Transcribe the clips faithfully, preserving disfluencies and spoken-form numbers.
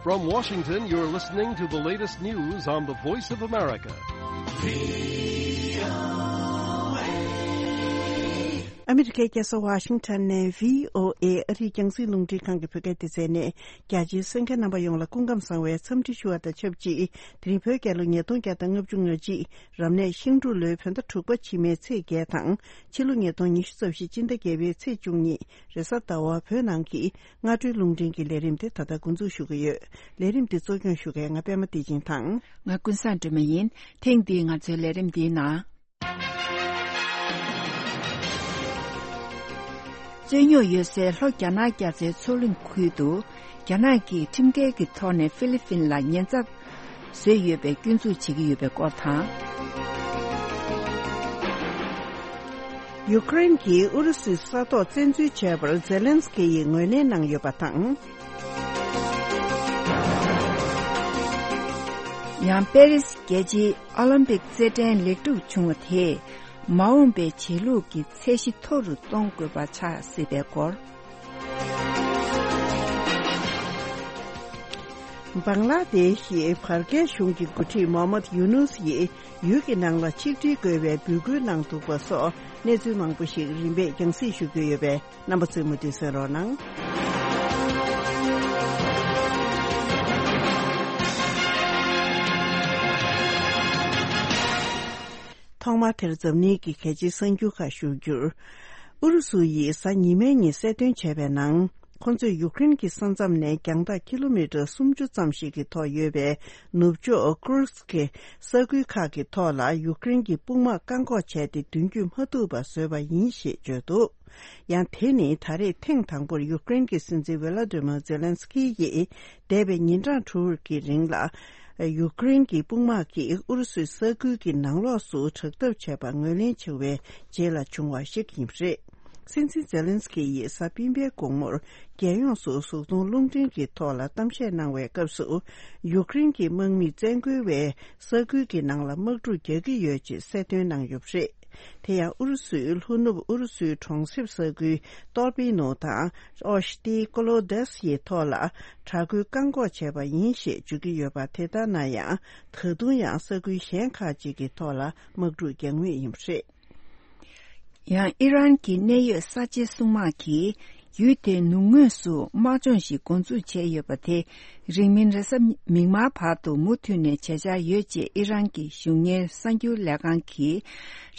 From Washington, you're listening to the latest news on the Voice of America. ཨ་མི་རི་ཀའི་རྒྱལ་ས་ཝ་ཤིང་ཊོན་ནས་བྷི་ཨོ་ཨེ་ཨ་རིའི་རྒྱང་སྲིང་རླུང་འཕྲིན་ཁང་གི་བོད་སྐད་སྡེ་ཚན་ནས། རྒྱ་ཆེའི་གསན་མཁན་རྣམ་པ་ཡོངས་ལ་སྐུ་ཁམས་བཟང་བའི་འཚམས་འདྲི་ཞུ་བ་དང་ཆབས་ཅིག་དེ་རིང་བོད་རྒྱལ་ལོ་ཉིས་སྟོང་བརྒྱ་དང་ལྔ་བཅུ་ང་གཅིག་རབ་གནས་ཤིང་འབྲུག་ལོའི་བོད་ཟླ་དྲུག་པ་ཕྱི་མའི་ཚེས་བརྒྱད་དང་། ཕྱི་ལོ་ཉིས་སྟོང་ཉི་ཤུ་རྩ་བཞི་སྤྱི་ཟླ་བརྒྱད་པའི་ཚེས་བཅུ་གཉིས་རེས་གཟའ་ཟླ་བ་བོད་ནང་གི་སྔ་དྲོའི་རླུང་འཕྲིན་གྱི་ལས་རིམ་དེ་ད་ལྟ་འགོ་འཛུགས་ཞུ་གི་ཡོད། ལས་རིམ་འདི་གཙོ་སྐྱོང་ཞུ་མཁན་ང་པད་མ་བདེ་ཆེན་དང་། ང་ཀུན་བཟང་སྒྲོལ་མ་ཡིན། ཐེངས་འདིའི་ང་ཚོའི་ལས་རིམ་འདིའི་ནང་། རྩོད་རྙོག་ཡོད་སའི་ལྷོ་རྒྱ་ནག་རྒྱ་མཚོའི་མཚོ་གླིང་ཁུལ་དུ། རྒྱ་ནག་གིས་ཁྲིམས་འགལ་གྱི་ཐོག་ནས་ཧྥི་ལི་ཕིན་ལ་ཉེན་ཚབས་བཟོས་ཡོད་པའི་སྐྱོན་འཛུགས་བྱེད་ཀྱི་ཡོད་པའི་སྐོར་དང་། ཡུ་ཀེ་རེན་གྱིས་ཨུ་རུ་སུའི་ས་ཐོག་བཙན་འཛུལ་བྱས་པར་ཛེ་ལན་སི་ཀི་ཡིས་ངོས་ལེན་གནང་ཡོད་པ་དང་། ཡང་པེ་རིས་རྒྱལ་སྤྱིའི་ཨོ་ལིམ་པིག་རྩེད་འགྲན་ལེགས་གྲུབ་བྱུང་བ་དེས། མ་འོངས་པའི་བྱེད་ལུགས་ཀྱི་ཚད་གཞི་མཐོ་རུ་གཏོང་དགོས་པ་ཆགས་སྲིད་པའི་སྐོར། བང་ལ་དེ་ཤི་བར་བརྒལ་གཞུང་གི་འགོ་ཁྲིད་མོ་ཧམ་མད་ཡུ་ནུས་ཡིས་ཡུལ་གྱི་ནང་ལ་ཆིག་སྒྲིལ་དགོས་པའི་འབོད་སྐུལ་གནང་འདུག་པ་སོགས་གནས་ཚུལ་མང་པོ་ཞིག་རིམ་པས་རྒྱང་སྲིང་ཞུ་རྒྱུ་ཡོད་པས། རྣམ་པ་ཚོས་མུ་མཐུད་གསན་རོགས་གནང་། ཐོག་མར་དེར་འཛམ་གླིང་གི་གལ་ཆེའི་གསར་འགྱུར་ཁག་ཞུ་རྒྱུར། ཨུ་རུ་སུ་ཡིས་གཟའ་ཉི་མའི་ཉིན་གསལ་སྟོན་བྱས་པའི་ནང་། ཁོ་ཚོས་ཡུཀ་རེན་གྱི་ས་མཚམས་ནས་རྒྱང་ཐག་ཀི་ལོ་མི་ཊར་སུམ་ཅུ་ཙམ་ཞིག་གི་ཐོག་ཡོད་པའི་ནུབ་ཕྱོགས་ཀུར་སི་ཀི་ས་ཁུལ་ཁག་གི་ཐོག་ལ་ཡུཀ་རེན་གྱི་དཔུང་དམག་བཀག་འགོག་བྱས་ཏེ་མདུན་སྐྱོད་མ་ཐུབ་པ་བཟོས་པ་ཡིན་ཞེས་བརྗོད་འདུག་ཡང་དེ་ནི་ད་རེས་ཐེངས་དང་པོར་ཡུཀ་རེན་གྱི་སྲིད་འཛིན་ཝེ་ལ་ཏི་མ་ཛེ་ལན་སི་ཀི་ཡིས་འདས་པའི་ཉིན་གྲངས་དྲུག་གི་རིང་ལ། ཡུཀ་རེན་གྱི་དཔུང་དམག་གིས་ཨུ་རུ་སུའི་ས་ཁུལ་གྱི་ནང་ལོགས་སུ་དྲག་འཐབ་བྱས་པ་ངོས་ལེན་བྱུང་བའི་རྗེས་ལ་བྱུང་བ་ཞིག་ཡིན་པ་རེད། སྲིད་འཛིན་ཛེ་ལན་སི་ཀི་ཡིས་གཟའ་སྤེན་པའི་དགོང་མོར་རྒྱལ་ཡོངས་སུ་གཟུགས་མཐོང་རླུང་འཕྲིན་གྱི་ཐོག་ལ་གཏམ་བཤད་གནང་བའི་སྐབས་སུ། ཡུཀ་རེན་གྱི་དམག་མིས་བཙན་རྒོལ་བས་ས་ཁུལ་གྱི་ནང་ལ་དམག་འཁྲུག་རྒྱག་གི་ཡོད་ཅེས་གསལ་སྟོན་གནང་ཡོད་པ་རེད། དེ་ཡང་ཨུ་རུ་སུའི་ལྷོ་ནུབ་ཨུ་རུ་སུའི་གྲོང་གསེབ་ས་ཁུལ་ཏོར་པི་ནོ་དང་ཨོ་ཤི་ཏི་ཀོ་ལོ་དེ་སི་ཡི་ཐོག་ལ་དྲག་རྒོལ་བཀག་འགོག་བྱས་པ་ཡིན་ཞེས་བརྗོད་ཀྱི་ཡོད་པ། དེ་ལྟར་ན་ཡང་ད་དུང་ཡང་ས་ཁུལ་གཞན་ཁག་ཅིག་གི་ཐོག་ལ་དམག་འཁྲུག་རྒྱག་མུས་ཡིན་པ་རེད། ཡང་ཨི་རན་གྱི་གནད་ཡོད་གསར་བརྗེའི་སྲུང་དམག་གིས་ཡུལ་དེའི་ནུབ་ངོས་སུ་དམག་སྦྱོང་ཞིག་འགོ་འཛུགས་བྱས་ཡོད་པ་དེ། རིང་མིན་རེས་གཟའ་མིག་དམར་བར་དུ་མུ་མཐུད་ནས་བྱེད་འཆར་ཡོད་ཅེས་ཨི་རན་གྱི་གཞུང་གཉེར་གསར་འགྱུར་ལས་ཁང་གིས་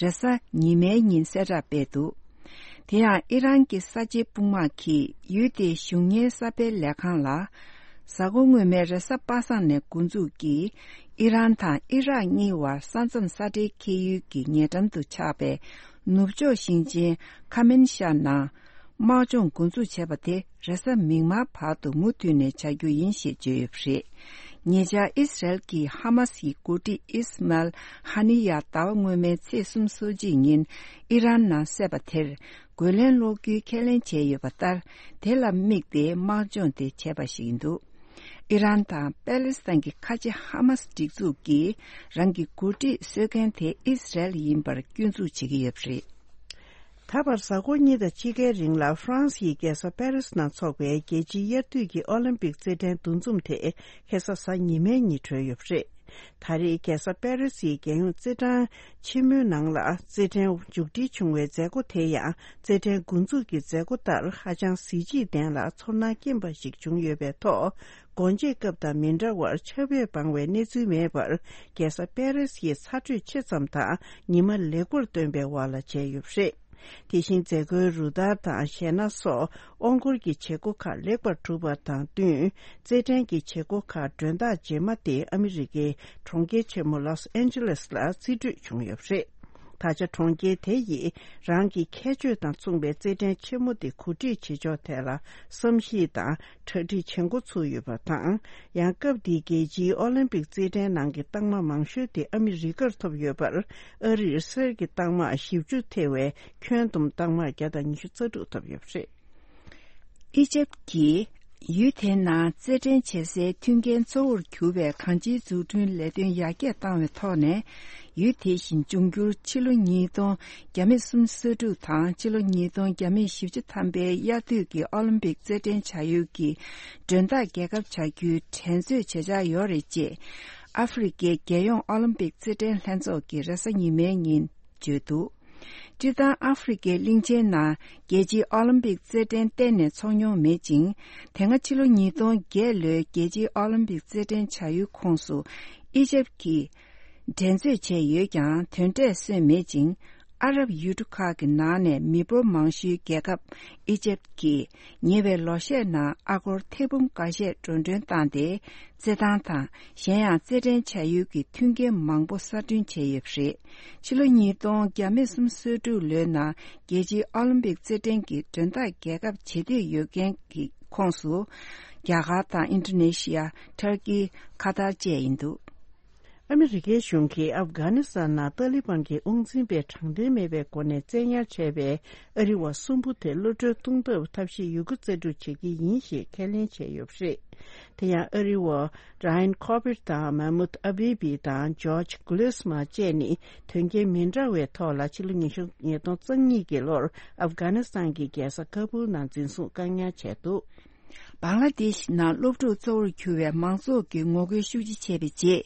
རེས་གཟའ་ཉི་མའི་ཉིན་གསལ་བསྒྲགས་སྤེལ་འདུག་དེ་ཡང་ཨི་རན་གྱི་གསར་བརྗེའི་དཔུང་དམག་གིས་ཡུལ་དེའི་གཞུང་གཉེར་གསར་སྤེལ་ལས་ཁང་ལ། གཟའ་འཁོར་སྔོན་མའི་རེས་གཟའ་པ་སངས་ནས་འགོ་འཛུགས་ཀྱིས་ཨི་རན་དང་ཨི་རག་གཉིས་བར་ས་མཚམས་ས་འབྲེལ་འཁེལ་ཡུལ་གྱི་ཉེ་འགྲམ་དུ་ཆགས་པའི་ནུབ་ཕྱོགས་ཞིང་ཆེན་ཁ་མན་ཤར་ནང་དམག་སྦྱོང་འགོ་འཛུགས་བྱས་པ་དེ་རེས་གཟའ་མིག་དམར་བར་དུ་མུ་མཐུད་ནས་བྱ་རྒྱུ་ཡིན་ཞེས་བརྗོད་ཡོད་པ་རེད། ཉེ་ཆར་ཨི་སི་རལ་གྱི་ཧ་མ་སི་ཡི་འགོ་ཁྲིད་ཨིས་མལ་ཧ་ནི་ཡ་ཟླ་བ་སྔོན་མའི་ཚེས་གསུམ་སོ་གཅིག་ཉིན་ཨི་རན་ནང་བསད་པ་དེར། རྒོལ་ལན་སློག་རྒྱུའི་ཁས་ལེན་བྱས་ཡོད་པ་ལྟར། དེ་ལ་དམིགས་ཏེ་དམག་སྦྱོང་དེ་བྱས་པ་ཞིག་ཡིན་འདུག་ཨི་རན་དང་པེ་ལེ་སི་ཐན་གྱི་ཁ་ཆེ་ཧ་མ་སི་སྒྲིག་འཛུགས་ཀྱིས་རང་གི་འགོ་ཁྲིད་གསོད་མཁན་དེ་ཨི་སི་རལ་ཡིན་པར་སྐྱོན་འཛུགས་བྱེད་ཀྱི་ཡོད་པ་རེད། ད་བར་གཟའ་འཁོར་གཉིས་དང་ཕྱེད་ཀའི་རིང་ལ་ཧྥ་རན་སི་ཡི་རྒྱལ་ས་པེ་རིས་ནང་འཚོགས་པའི་རྒྱལ་སྤྱིའི་དབྱར་དུས་ཀྱི་ཨོ་ལིམ་པིག་རྩེད་འགྲན་འདུ་འཛོམས་དེ་ཁ་སང་གཟའ་ཉི་མའི་ཉིན་གྲོལ་ཡོད་པ་རེད། ད་རེས་རྒྱལ་ས་པེ་རི་སིའི་རྒྱལ་ཡོངས་རྩེད་འགྲན་ཆེན་མོའི་ནང་ལ་རྩེད་འགྲན་མཇུག་སྒྲིལ་བྱུང་བའི་མཛད་སྒོ་དེ་ཡང་རྩེད་འགྲན་འགོ་འཛུགས་ཀྱི་མཛད་སྒོ་ལྟར་ཧ་ཅང་གཟི་བརྗིད་ལྡན་ལ་ཚོར་སྣང་སྐྱེན་པ་ཞིག་བྱུང་ཡོད་པའི་ཐོག་སྒོ་འབྱེད་སྐབས་དང་མི་འདྲ་བར་ཆར་པས་སྦང་བའི་གནས་ཚུལ་མེད་པར་རྒྱལ་ས་པེ་རི་སིའི་ཚ་དྲོད་ཆེ་ཙམ་དང་ཉི་མ་ལེགས་པོར་སྟོན་པའི་འོག་ལ་བྱས་ཡོད་པ་རེད། དེ་བཞིན་མཛད་སྒོའི་རུ་སྟར་དང་གཞས་སྣ་སོགས་དབང་སྐུར་གྱི་བྱེད་སྒོ་ཁག་ལེགས་པར་གྲུབ་པ་དང་བསྟུན། རྩེད་འགྲན་གྱི་བྱེད་སྒོ་ཁག་མགྲོན་བདག་རྗེས་མ་དེ་ཨ་མི་རི་ཀའི་གྲོང་ཁྱེར་ཆེན་མོ་ལོས་ཨན་ཇེ་ལེས་ལ་རྩིས་སྤྲོད་བྱུང་ཡོད་པ་རེད། ད་ཆ་གྲོང་ཁྱེར་དེ་ཡིས་རང་གི་ཁྱད་ཆོས་དང་མཚུངས་པའི་རྩེད་འགྲན་ཆེན་མོ་དེ་གོ་སྒྲིག་བྱེད་ཕྱོགས་ཐད་ལ་བསམ་གཞིག་དང་གྲ་སྒྲིག་བྱེད་འགོ་ཚུགས་ཡོད་པ་དང་། ཡང་སྐབས་འདིའི་རྒྱལ་སྤྱིའི་ཨོ་ལིམ་པིག་རྩེད་འགྲན་ནང་གི་རྟགས་མ་མང་ཤོས་དེ་ཨ་མི་རི་ཀར་ཐོབ་ཡོད་པར། ཨ་རིར་གསེར་གྱི་རྟགས་མ་བཞི་བཅུ་ཐེ་བའི་ཁྱོན་བསྡོམས་རྟགས་མ་བརྒྱ་དང་ཉི་ཤུ་རྩ་དྲུག་ཐོབ་ཡོད་པ་རེད། ཨི་ཇེབ་ཀྱིས་ ཡུལ་དེའི་ནང་རྩེད་འགྲན་བྱེད་སའི་མཐུན་རྐྱེན་གཙོ་བོར་གྱུར་པའི་གང་ཅིའི་འཛུགས་སྐྲུན་ལས་དོན་ཡར་རྒྱས་བཏང་བའི་ཐོག་ནས། ཡུལ་དེ་བཞིན་འབྱུང་འགྱུར་ཕྱི་ལོ་ཉིས་སྟོང་བརྒྱ་མེད་སུམ་ཅུ་སོ་དྲུག་དང་ཕྱི་ལོ་ཉིས་སྟོང་བརྒྱ་མེད་བཞི་བཅུ་ཐམ་པའི་དབྱར་དུས་ཀྱི་ཨོ་ལིམ་པིག་རྩེད་འགྲན་བྱ་ཡུལ་གྱི་མགྲོན་བདག་རྒྱལ་ཁབ་བྱ་རྒྱུའི་འགྲན་རྩོད་བྱེད་འཆར་ཡོད་རེད་ཅེས། ཨ་ཧྥེ་རི་ཁའི་རྒྱལ་ཡོངས་ཨོ་ལིམ་པིག་རྩེད་འགྲན་ལྷན་ཚོགས་ཀྱིས་རེས་གཟའ་ཉི་མའི་ཉིན་བརྗོད་འདུག་སྤྱིར་བཏང་ཨ་ཧྥེ་རི་ཁའི་གླིང་ཆེན་ནང་རྒྱལ་སྤྱིའི་ཨོ་ལིམ་པིག་རྩེད་འགྲན་གཏན་ནས་འཚོགས་མྱོང་མེད་ཅིང་། དེ་སྔ་ཕྱི་ལོ་ཉིས་སྟོང་བརྒྱད་ལོའི་རྒྱལ་སྤྱིའི་ཨོ་ལིམ་པིག་རྩེད་འགྲན་བྱ་ཡུལ་ཁོངས་སུ་ཨི་ཇེབ་ཀྱིས་འགྲན་རྩོད་བྱས་ཡོད་ཀྱང་དོན་འབྲས་སོན་མེད་ཅིང་། ཨ་རབ་ཡུལ་གྲུ་ཁག་གི་ནང་ནས་མི་འབོར་མང་ཤོས་རྒྱལ་ཁབ་ཨི་ཇེབ་ཀྱིས་ཉེ་བའི་ལོ་ཤས་ནང་ཨ་སྒོར་ཐེར་འབུམ་འགའ་ཤས་འགྲོ་གྲོན་བཏང་སྟེ། རྩེད་ཐང་དང་གཞན་ཡང་རྩེད་འགྲན་བྱ་ཡུལ་གྱི་མཐུན་རྐྱེན་མང་པོ་གསར་སྐྲུན་བྱས་ཡོད་པ་རེད། ཕྱི་ལོ་ཉིས་སྟོང་བརྒྱ་མེད་སུམ་ཅུ་སོ་དྲུག་ལོའི་ནང་རྒྱལ་སྤྱིའི་ཨོ་ལིམ་པིག་རྩེད་འགྲན་གྱི་མགྲོན་བདག་རྒྱལ་ཁབ་བྱེད་འདོད་ཡོད་མཁན་གྱི་ཁོངས་སུ། རྒྱ་གར་དང་ཨིན་ཌོ་ནེ་ཤི་ཡ། ཐར་ཀི། ཁ་ཐར་བཅས་ཡིན་འདུག་ཨ་མི་རི་ཀའི་གཞུང་གིས་ཨབ་གྷ་ནི་སི་ཐན་ནང་ཏཱ་ལི་བན་གྱི་དབང་འཛིན་པས་དྲང་བདེན་མེད་པའི་སྒོ་ནས་བཙན་ཉར་བྱས་པའི་ཨ་རི་བ་གསུམ་པོ་དེ་གློད་གྲོལ་གཏོང་ཐབས་ཐབས་ཤེས་ཡོད་རྒུ་རྩལ་སྤྲུགས་བྱེད་ཀྱི་ཡིན་ཞེས་ཁས་ལེན་བྱས་ཡོད་པ་རེད། དེ་ཡང་ཨ་རི་བ་ར་ཡན་ཁོ་བིར་དང་མ་མུད་ཨ་བྷི་བི་དང་ཇོརྗ་གྷུ་ལེ་སི་མ་བཅས་ནི་དོན་རྐྱེན་མི་འདྲ་བའི་ཐོག་ལ་ཕྱི་ལོ་ཉིས་སྟོང་ཉེར་གཉིས་ཀྱི་ལོར་ཨབ་གྷ་ནི་སི་ཐན་གྱི་རྒྱལ་ས་ཀ་བུལ་ནང་འཛིན་བཟུང་བཀག་ཉར་བྱས་འདུག་བང་ལ་དེ་ཤི་ནང་སློབ་ཕྲུག་གཙོ་བོར་གྱུར་བའི་མང་ཚོགས་ཀྱིས་ངོ་རྒོལ་ཤུགས་ཆེ་བྱས་པའི་རྗེས།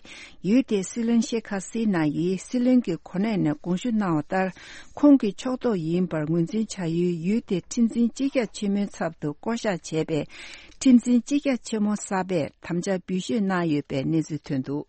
ཡུལ་དེའི་སྲིད་བློན་ཤེ་ཁ་སི་ན་ཡིས་སྲིད་བློན་གྱི་གོ་གནས་ནས་དགོངས་ཞུ་གནང་བ་ལྟར། ཁོང་གི་ཕྱོགས་གཏོགས་ཡིན་པར་ངོས་འཛིན་བྱ་ཡུལ་ཡུལ་དེའི་ཁྲིམས་འཛིན་སྤྱི་ཁྱབ་ཆེན་མོའི་ཚབ་ཏུ་བསྐོ་གཞག་བྱས་པའི་ཁྲིམས་འཛིན་སྤྱི་ཁྱབ་ཆེན་མོ་གསར་པས་དམ་བཅའ་འབུལ་ཞུས་གནང་ཡོད་པའི་གནས་ཚུལ་ཐོན་འདུག་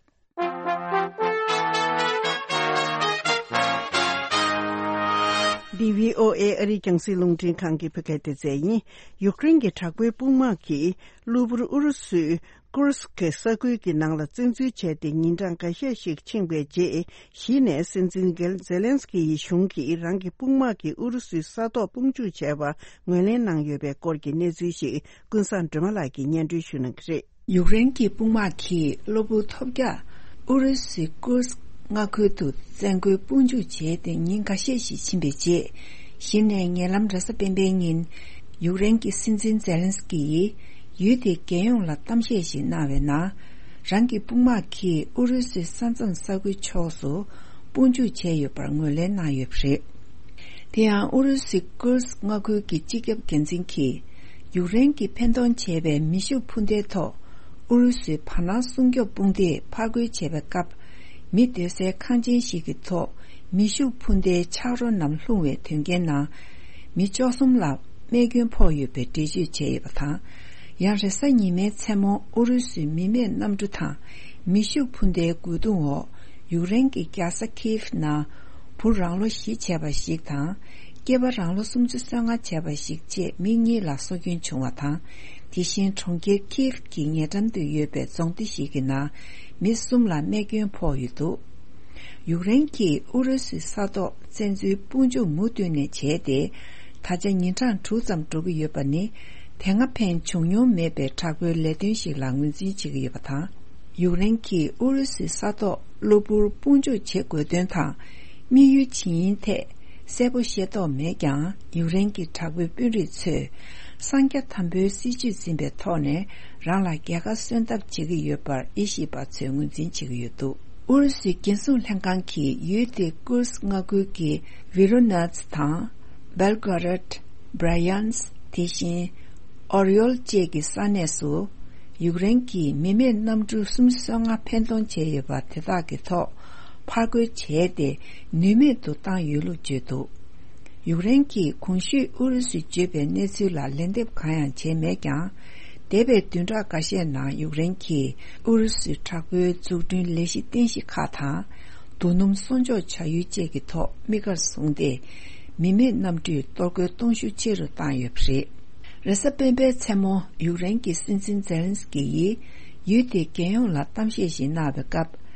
འདི་བྷི་ཨོ་ཨེ་ཨ་རིའི་རྒྱང་སྲིང་རླུང་འཕྲིན་ཁང་གི་བོད་སྐད་སྡེ་ཚན་ཡིན། ཡུཀ་རེན་གྱི་དྲག་པོའི་དཔུང་དམག་གིས་གློ་བུར་ཨུ་རུ་སུའི་ཀུར་སི་ཀི་ས་ཁུལ་གྱི་ནང་ལ་བཙན་འཛུལ་བྱས་ཏེ་ཉིན་གྲངས་འགའ་ཤས་ཤིག་ཕྱིན་པའི་རྗེས། གཞི་ནས་སྲིད་འཛིན་གེལ་ཛེ་ལན་སི་ཀི་ཡི་གཞུང་གིས་རང་གི་དཔུང་དམག་གིས་ཨུ་རུ་སུའི་ས་ཐོག་དཔུང་འཇུག་བྱས་པ་ངོས་ལེན་གནང་ཡོད་པའི་སྐོར་གྱི་གནས་ཚུལ་ཞིག་ཀུན་བཟང་སྒྲོལ་མ་ལགས་ཀྱིས་སྙན་སྒྲོན་ཞུ་གནང་གི་རེད། ཡུཀ་རེན་གྱི་དཔུང་དམག་གིས་གློ་བུར་ཐོལ་རྒྱག་ཨུ་རུ་སུའི་ཀུར་སི་མངའ་ཁུལ་དུ་བཙན་རྒོལ་དཔུང་འཇུག་བྱས་ཏེ་ཉིན་འགའ་ཤས་ཤིག་ཕྱིན་པའི་རྗེས། གཞི་ནས་ཉེ་ལམ་རེས་གཟའ་སྤེན་པའི་ཉིན། ཡུཀ་རེན་གྱི་སྲིད་འཛིན་ཛེ་ལན་སི་ཀི་ཡིས་ཡུལ་དེའི་རྒྱལ་ཡོངས་ལ་གཏམ་བཤད་ཞིག་གནང་བའི་ནང་། རང་གི་དཔུང་དམག་གིས་ཨུ་རུ་སུའི་ས་མཚམས་ས་ཁུལ་ཕྱོགས་སུ་དཔུང་འཇུག་བྱས་ཡོད་པར་ངོས་ལེན་གནང་ཡོད་པ་རེད། དེ་ཡང་ཨུ་རུ་སུའི་ཀུར་སི་མངའ་ཁུལ་གྱི་སྤྱི་ཁྱབ་འགན་འཛིན་གྱིས། ཡུཀ་རེན་གྱིས་འཕེན་གཏོང་བྱས་པའི་མེ་ཤུགས་འཕུར་མདེལ་ཐོག་ཨུ་རུ་སུའི་བར་སྣང་སྲུང་སྐྱོབ་དཔུང་སྡེས་ཕར་རྒོལ་བྱས་པའི་སྐབས། མི་སྡོད་སའི་ཁང་ཆེན་ཞིག་གི་ཐོག་མེ་ཤུགས་འཕུར་མདེལ་ཆག་རོ་རྣམས་ལྷུང་བའི་དོན་རྐྱེན་ནང་། མི་བཅུ་གསུམ་ལ་རྨས་སྐྱོན་ཕོག་ཡོད་པའི་འགྲེལ་བརྗོད་བྱས་ཡོད་པ་དང་། ཡང་རེས་གཟའ་ཉི་མའི་མཚན་མོ་ཨུ་རུ་སུའི་མི་མེད་གནམ་གྲུ་དང་མེ་ཤུགས་འཕུར་མདེལ་རྒོལ་རྡུང་འོག་ཡུཀ་རེན་གྱི་རྒྱལ་ས་ཁིའེབ་ནང་བུ་རང་ལོ་བཞི་བྱས་པ་ཞིག་དང་། སྐྱེས་པ་རང་ལོ་སུམ་ཅུ་སོ་ལྔ་བྱས་པ་ཞིག་བཅས་མི་གཉིས་ལ་སྲོག་སྐྱོན་བྱུང་བ་དང་། དེ་བཞིན་གྲོང་ཁྱེར་ཁིའེབ་ཀྱི་ཉེ་འགྲམ་དུ་ཡོད་པའི་རྫོང་སྡེ་ཞིག་གི་ནང་མི་གསུམ་ལ་རྨས་སྐྱོན་ཕོག་ཡོད་འདུག་ཡུཀ་རེན་གྱིས་ཨུ་རུ་སུའི་ས་ཐོག་བཙན་འཛུལ་དཔུང་འཇུག་མུ་མཐུད་ནས་བྱས་ཏེ། ད་ཆ་ཉིན་གྲངས་དྲུག་ཙམ་འགྲོ་གི་ཡོད་པ་ནི། དེ་སྔ་ཕན་བྱུང་མྱོང་མེད་པའི་དྲག་པོའི་ལས་དོན་ཞིག་ལ་ངོས་འཛིན་བྱེད་ཀྱི་ཡོད་པ་དང་། ཡུཀ་རེན་གྱིས་ཨུ་རུ་སུའི་ས་ཐོག་གློ་བུར་དཔུང་འཇུག་བྱེད་དགོས་དོན་དང་། དམིགས་ཡུལ་ཇི་ཡིན་ཐད་གསལ་པོ་ཤེས་རྟོགས་མེད་ཀྱང་། ཡུཀ་རེན་གྱི་དྲག་པོའི་དཔོན་རིགས་ཚོས་གསང་རྒྱ་དམ་པོའི་སྲིད་བྱུས་འཛིན་པའི་ཐོག་ནས་རང་ལ་རྒྱལ་ཁ་སོན་ཐབས་བྱེད་ཀྱི་ཡོད་པར་དབྱེ་ཞིབ་པ་ཚོས་ངོས་འཛིན་བྱེད་ཀྱི་ཡོད་འདུག་ཨུ་རུ་སུའི་རྒྱལ་སྲུང་ལྷན་ཁང་གིས་ཡུལ་དེའི་ཀུར་སི་མངའ་ཁུལ་གྱི་ཝི་རོ་ནཱ་ཚི་དང་། སྦེལ་གྷོ་རད། བྷ་རི་ཡན་སི། དེ་བཞིན་ཨོ་རི་ཡོལ་བཅས་ཀྱི་ས་གནས་སུ། ཡུཀ་རེན་གྱིས་མི་མེད་གནམ་གྲུ་སུམ་ཅུ་སོ་ལྔ་འཕེན་གཏོང་བྱས་ཡོད་པ་དེ་དག་གི་ཐོག་ཕར་རྒོལ་བྱས་ཏེ། ནུས་མེད་དུ་བཏང་ཡོད་ལུགས་བརྗོད་འདུག་ཡུཀ་རེན་གྱིས་གོང་ཞུས་ཨུ་རུ་སུས་བརྗོད་པའི་གནས་ཚུལ་ལ་ལན་འདེབས་གང་ཡང་བྱས་མེད་ཀྱང་། འདས་པའི་བདུན་ཕྲག་འགའ་ཤས་ནང་ཡུཀ་རེན་གྱིས་ཨུ་རུ་སུའི་དྲག་པོའི་འཛུགས་སྐྲུན་ལས་གཞི་རྟེན་གཞི་ཁག་དང་། རྡོ་སྣུམ་གསོག་འཇོག་བྱ་ཡུལ་བཅས་ཀྱི་ཐོག་དམིགས་བཀར་བཟུང་སྟེ། མི་མེད་གནམ་གྲུས་གཏོར་རྒོལ་གཏོང་ཤུགས་ཆེ་རུ་བཏང་ཡོད་པ་རེད། རེས་གཟའ་སྤེན་པའི་མཚན་མོ་ཡུཀ་རེན་གྱི་སྲིད་འཛིན་ཛེ་ལན་སི་ཀི་ཡིས་ཡུལ་དེའི་རྒྱལ་ཡོངས་ལ་གཏམ་བཤད་ཞིག་གནང་བའི་སྐབས།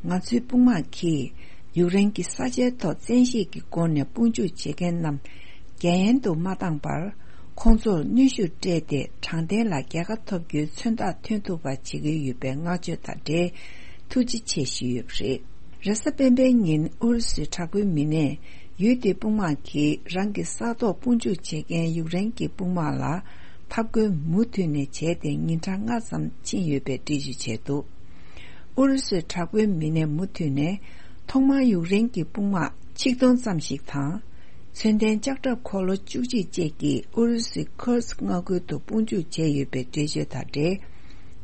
ང་ཚོའི་དཔུང་དམག་གིས་ཡུཀ་རེན་གྱི་ས་ཆའི་ཐོག་བཙན་ཤེད་ཀྱི་སྒོ་ནས་དཔུང་འཇུག་བྱེད་མཁན་རྣམས་རྒྱ་ཡན་དུ་མ་བཏང་བར། ཁོང་ཚོར་གནོན་ཤུགས་སྤྲད་དེ། དྲང་བདེན་ལ་རྒྱལ་ཁ་ཐོབ་རྒྱུའི་མཚོན་རྟགས་ཐོན་ཐུབ་པ་བྱེད་ཀྱི་ཡོད་པའི་བསྔགས་བརྗོད་དང་འབྲེལ། ཐུགས་རྗེ་ཆེ་ཞུས་ཡོད་པ་རེད། རེས་གཟའ་སྤེན་པའི་ཉིན་ཨུ་རུ་སུའི་དྲག་པོའི་མི་སྣས་ཡུལ་དེའི་དཔུང་དམག་གིས་རང་གི་ས་ཐོག་དཔུང་འཇུག་བྱེད་མཁན་ཡུཀ་རེན་གྱི་དཔུང་དམག་ལ། འཐབ་རྒོལ་མུ་མཐུད་ནས་བྱས་ཏེ་ཉིན་གྲངས་ལྔ་ཙམ་ཕྱིན་ཡོད་པའི་འགྲེལ་བརྗོད་བྱས་འདུག་ཨུ་རུ་སུའི་དྲག་པོའི་མི་སྣས་མུ་མཐུད་ནས་ཐོག་མར་ཡུཀ་རེན་གྱི་དཔུང་དམག་ཆིག་སྟོང་ཙམ་ཞིག་དང་། མཚོན་ལྡན་ལྕགས་ཁྲབ་འཁོར་ལོ་བཅུ་གཅིག་བཅས་ཀྱིས་ཨུ་རུ་སུའི་ཁུར་སི་མངའ་ཁུལ་དུ་དཔུང་འཇུག་བྱས་ཡོད་པའི་འགྲེལ་བརྗོད་དང་འབྲེལ།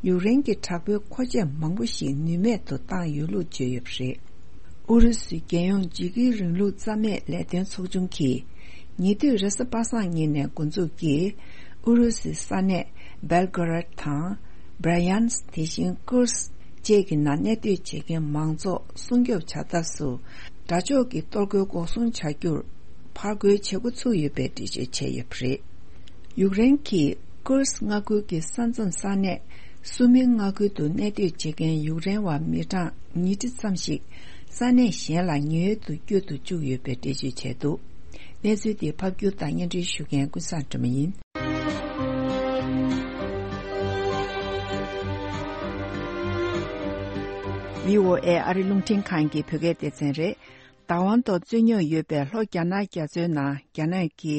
ཡུཀ་རེན་གྱི་དྲག་པོའི་མཁོ་ཆས་མང་པོ་ཞིག་ནུས་མེད་དུ་བཏང་ཡོད་ལུགས་བརྗོད་ཡོད་པ་རེད། ཨུ་རུ་སུའི་རྒྱལ་ཡོངས་འཇིགས་སྐུལ་རིང་ལུགས་རྩ་མེད་ལས་དོན་ཚོགས་ཆུང་གིས། ཉེ་དུས་རེས་གཟའ་པ་སངས་ཉིན་ནས་འགོ་འཛུགས་ཀྱིས། ཨུ་རུ་སུའི་ས་གནས་སྦེལ་གོ་རད་དང་། བྷ་ར་ཡན་སི་དེ་བཞིན་ཀུར་སི་བཅས་ཀྱི་ནང་གནས་སྡོད་བྱེད་མཁན་མང་ཚོགས་སྲུང་སྐྱོབ་བྱ་ཐབས་སུ། དགྲ་ཕྱོགས་ཀྱི་གཏོར་རྒོལ་འགོག་སྲུང་བྱ་རྒྱུར་ཕར་རྒོལ་བྱེད་འགོ་ཚུགས་ཡོད་པའི་འགྲེལ་བརྗོད་བྱས་ཡོད་པ་རེད། ཡུཀ་རེན་གྱིས་ཀུར་སི་མངའ་ཁུལ་གྱི་ས་མཚམས་ས་གནས་སུ་མིའི་མངའ་ཁུལ་དུ་གནས་སྡོད་བྱེད་མཁན་ཡུཀ་རེན་བ་མི་གྲངས་ཉིས་ཁྲི་ཙམ་ཞིག་ས་གནས་གཞན་ལ་ཉེན་གཡོལ་དུ་བསྐྱོད་དུ་བཅུག་ཡོད་པའི་འགྲེལ་བརྗོད་བྱས་འདུག་གནས་ཚུལ་འདི་ཕབ་སྒྱུར་དང་སྙན་སྒྲོན་ཞུ་མཁན་ཀུན་བཟང་སྒྲོལ་མ་ཡིན། བྷི་ཨོ་ཨེ་ཨ་རི་རླུང་འཕྲིན་ཁང་གི་བོད་སྐད་སྡེ་ཚན་རེད། བདག་དབང་ཐོག་རྩོད་རྙོག་ཡོད་པའི་ལྷོ་རྒྱ་ནག་རྒྱ་མཚོའི་ནང་རྒྱ་ནག་གི་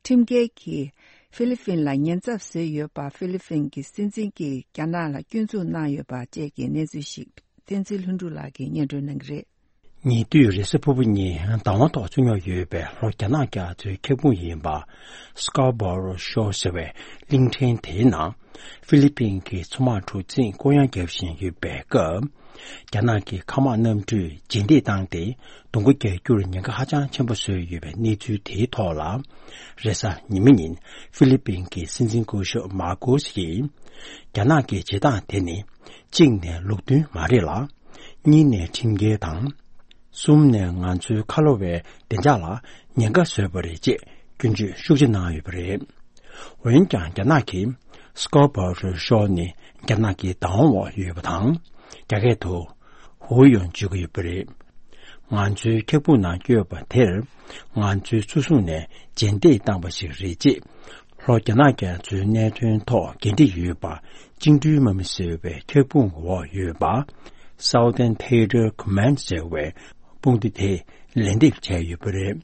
ཁྲིམས་འགལ་གྱིས་ཧྥི་ལི་ཕིན་ལ་ཉེན་ཚབས་བཟོས་ཡོད་པ། ཧྥི་ལི་ཕིན་གྱི་སྲིད་འཛིན་གྱིས་རྒྱ་ནག་ལ་སྐྱོན་འཛུགས་གནང་ཡོད་པ་བཅས་ཀྱི་གནས་ཚུལ་ཞིག་བསྟན་འཛིན་ལྷུན་གྲུབ་ལགས་ཀྱིས་སྙན་སྒྲོན་གནང་གི་རེད། ཉེ་དུས་རེས་གཟའ་ཕུར་བུ་ཉིན་བདག་དབང་ཐོག་རྩོད་རྙོག་ཡོད་པའི་ལྷོ་རྒྱ་ནག་རྒྱ་མཚོའི་འཁྱག་སྤུངས་ཡིན་པ། སི་ཀར་བོ་རོ་ཤོར་ཟེར་བའི་གླིང་ཕྲན་དེའི་ནང་ཧྥི་ལི་པིན་གྱི་མཚོ་དམག་གྲུ་གཟིངས་སྐོར་གཡང་བརྒྱབ་བཞིན་ཡོད་པའི་སྐབས། རྒྱ་ནག་གི་མཁའ་དམག་གནམ་གྲུས་རྗེས་འདེད་བཏང་སྟེ། གདོང་བསྐུ་རྒྱག་རྒྱུར་ཉེན་ཁ་ཧ་ཅང་ཆེན་པོ་བཟོས་ཡོད་པའི་གནས་ཚུལ་དེའི་ཐོག་ལ། རེས་གཟའ་ཉི་མ་ཉིན་ཧྥི་ལི་པིན་གྱི་སྲིད་འཛིན་སྐུ་ཞབས་མར་ཀོ་སི་ཡིས། རྒྱ་ནག་གི་བྱེད་སྟངས་དེ་ནི། གཅིག་ནས་ལུགས་མཐུན་མ་རེད་ལ། གཉིས་ནས་ཁྲིམས་འགལ་དང་། གསུམ་ནས་ང་ཚོའི་ཁ་ལོ་བའི་བདེ་འཇགས་ལ་ཉེན་ཁ་བཟོས་པ་རེད་ཅེས་སྐྱོན་བརྗོད་ཤུགས་ཆེ་གནང་ཡོད་པ་རེད། འོན་ཀྱང་རྒྱ་ནག་གིས་སི་ཀར་བོ་རོ་ཤོར་ནི་རྒྱ་ནག་གི་བདག་དབང་འོག་ཡོད་པ་དང་། རྒྱ་སྐད་དུ། ཧུའུ་ཡོན་བརྗོད་ཀྱི་ཡོད་པ་རེད། ང་ཚོའི་འཁྱག་སྤུངས་ནང་བསྐྱོད་པ་དེར། ང་ཚོའི་མཚོ་སྲུང་ནས་རྗེས་འདེད་བཏང་པ་ཞིག་རེད་ཅེས། ལྷོ་རྒྱ་ནག་རྒྱ་མཚོའི་གནད་དོན་ཐོག་འགན་འཁྲི་ཡོད་པ། བཅིངས་འགྲོལ་དམག་མི་ཟེར་བའི་འཁྱག་སྤུངས་འོག་ཡོད་པ། Southern Theater Command ཟེར་བའི་དཔུང་སྡེ་དེས་ལན་འདེབས་བྱས་ཡོད་པ་རེད།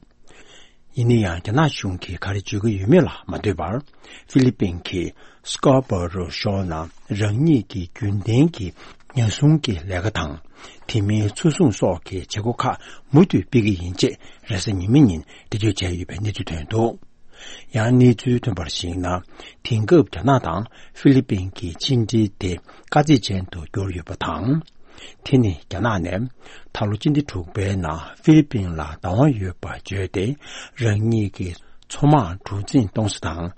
ཡིན་ན་ཡང་། རྒྱ་ནག་གཞུང་གིས་ག་རེ་བརྗོད་ཀྱི་ཡོད་མེད་ལ་མ་ལྟོས་པར། ཧྥི་ལི་པིན་གྱིས་སི་ཀར་བོ་རོ་ཤོར་ནང་རང་ཉིད་ཀྱི་རྒྱུན་ལྡན་གྱི་ཉེན་སྲུང་གི་ལས་ཀ་དང་། དེ་མིན་མཚོ་སྲུང་སོགས་ཀྱི་བྱེད་སྒོ་ཁག་མུ་མཐུད་སྤེལ་གྱི་ཡིན་ཅེས་རེས་གཟའ་ཉི་མ་ཉིན་འགྲེལ་བརྗོད་བྱས་ཡོད་པའི་གནས་ཚུལ་ཐོན་འདུག་ཡང་གནས་ཚུལ་ཐོན་པར་གཞིགས་ན། དེང་སྐབས་རྒྱ་ནག་དང་ཧྥི་ལི་པིན་གྱི་ཕྱི་འབྲེལ་དེ་དཀའ་ཚེགས་ཅན་དུ་གྱུར་ཡོད་པ་དང་། དེ་ནི་རྒྱ་ནག་ནས་ད་ལོ་སྤྱི་ཟླ་དྲུག་པའི་ནང་ཧྥི་ལི་པིན་ལ་བདག་དབང་ཡོད་པ་བརྗོད་དེ། རང་ཉིད་ཀྱི་མཚོ་དམག་གྲུ་གཟིངས་གཏོང་ས་དང་།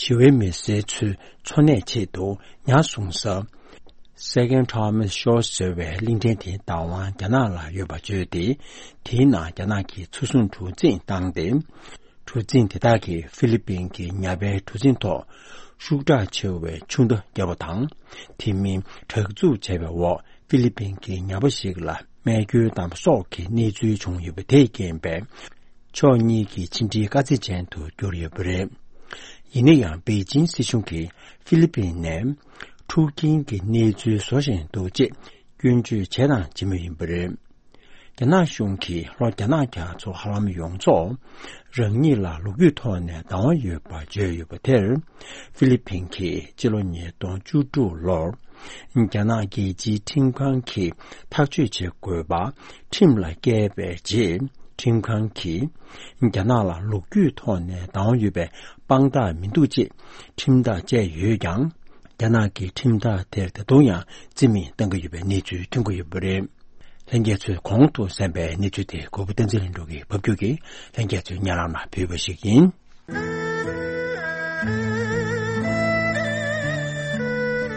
ཞི་བའི་མི་སེར་ཚོའི་འཚོ་གནས་ཆེད་དུ་ཉ་བསྲུང་ས། Second Thomas Shore ཟེར་བའི་གླིང་ཕྲན་དེའི་བདག་དབང་རྒྱ་ནག་ལ་ཡོད་པ་བརྗོད་དེ། དེའི་ནང་རྒྱ་ནག་གི་མཚོ་སྲུང་གྲུ་གཟིངས་བཏང་སྟེ། གྲུ་གཟིངས་དེ་དག་གིས་ཧྥི་ལི་པིན་གྱི་ཉ་པའི་གྲུ་གཟིངས་ཐོག་ཤུགས་དྲག་ཆེ་བའི་ཆུ་མདའ་བརྒྱབ་པ་དང་། དེ་མིན་དྲག་འཛུགས་བྱས་པའི་འོག་ཧྥི་ལི་པིན་གྱི་ཉ་པ་ཞིག་ལ་རྨས་སྐྱོན་བཏང་པ་སོགས་ཀྱི་གནས་ཚུལ་བྱུང་ཡོད་པ་དེས་རྐྱེན་པས། ཕྱོགས་གཉིས་ཀྱི་ཕྱི་འབྲེལ་དཀའ་ཚེགས་ཅན་དུ་གྱུར་ཡོད་པ་རེད། ཡིན་ན་ཡང་པེ་ཅིན་སྲིད་གཞུང་གིས་ཧྥི་ལི་པིན་ནས་འཁྲུག་རྐྱེན་གྱི་གནས་ཚུལ་བཟོ་བཞིན་འདུག་ཅེས་སྐྱོན་བརྗོད་བྱས་དང་བྱེད་མུས་ཡིན་པ་རེད། རྒྱ་ནག་གཞུང་གིས་ལྷོ་རྒྱ་ནག་རྒྱ་མཚོ་ཧ་ལམ་ཡོངས་རྫོགས་རང་ཉིད་ལ་ལོ་རྒྱུས་ཐོག་ནས་བདག་དབང་ཡོད་པ་བརྗོད་ཡོད་པ་དེར། ཧྥི་ལི་པིན་གྱིས་སྤྱི་ལོ་ཉིས་སྟོང་བཅུ་དྲུག་ལོར་རྒྱ་ནག་རྒྱལ་སྤྱིའི་ཁྲིམས་ཁང་གིས་ཐག་གཅོད་བྱེད་དགོས་པ་ཁྲིམས་ལ་བཀལ་བའི་རྗེས། ཁྲིམས་ཁང་གིས་རྒྱ་ནག་ལ་ལོ་རྒྱུས་ཐོག་ནས་བདག་དབང་ཡོད་པའི་དཔང་རྟགས་མི་འདུག་ཅེས་ཁྲིམས་ཐག་བཅད་ཡོད་ཀྱང་། རྒྱ་ནག་གི་ཁྲིམས་ཐག་དེར་ད་དུང་ཡང་རྩིས་མེད་གཏང་གི་ཡོད་པའི་གནས་ཚུལ་ཐོན་གྱི་ཡོད་པ་རེད། ལྷན་རྒྱས་ཚོས་གོང་དུ་གསན་པའི་གནས་ཚུལ་དེ་གོ་བོ་བསྟན་འཛིན་ལྷུན་གྲུབ་ཀྱིས་ཕབ་སྒྱུར་གྱིས་ལྷན་རྒྱས་ཚོའི་སྙན་ལམ་ལ་ཕུལ་བ་ཞིག་ཡིན།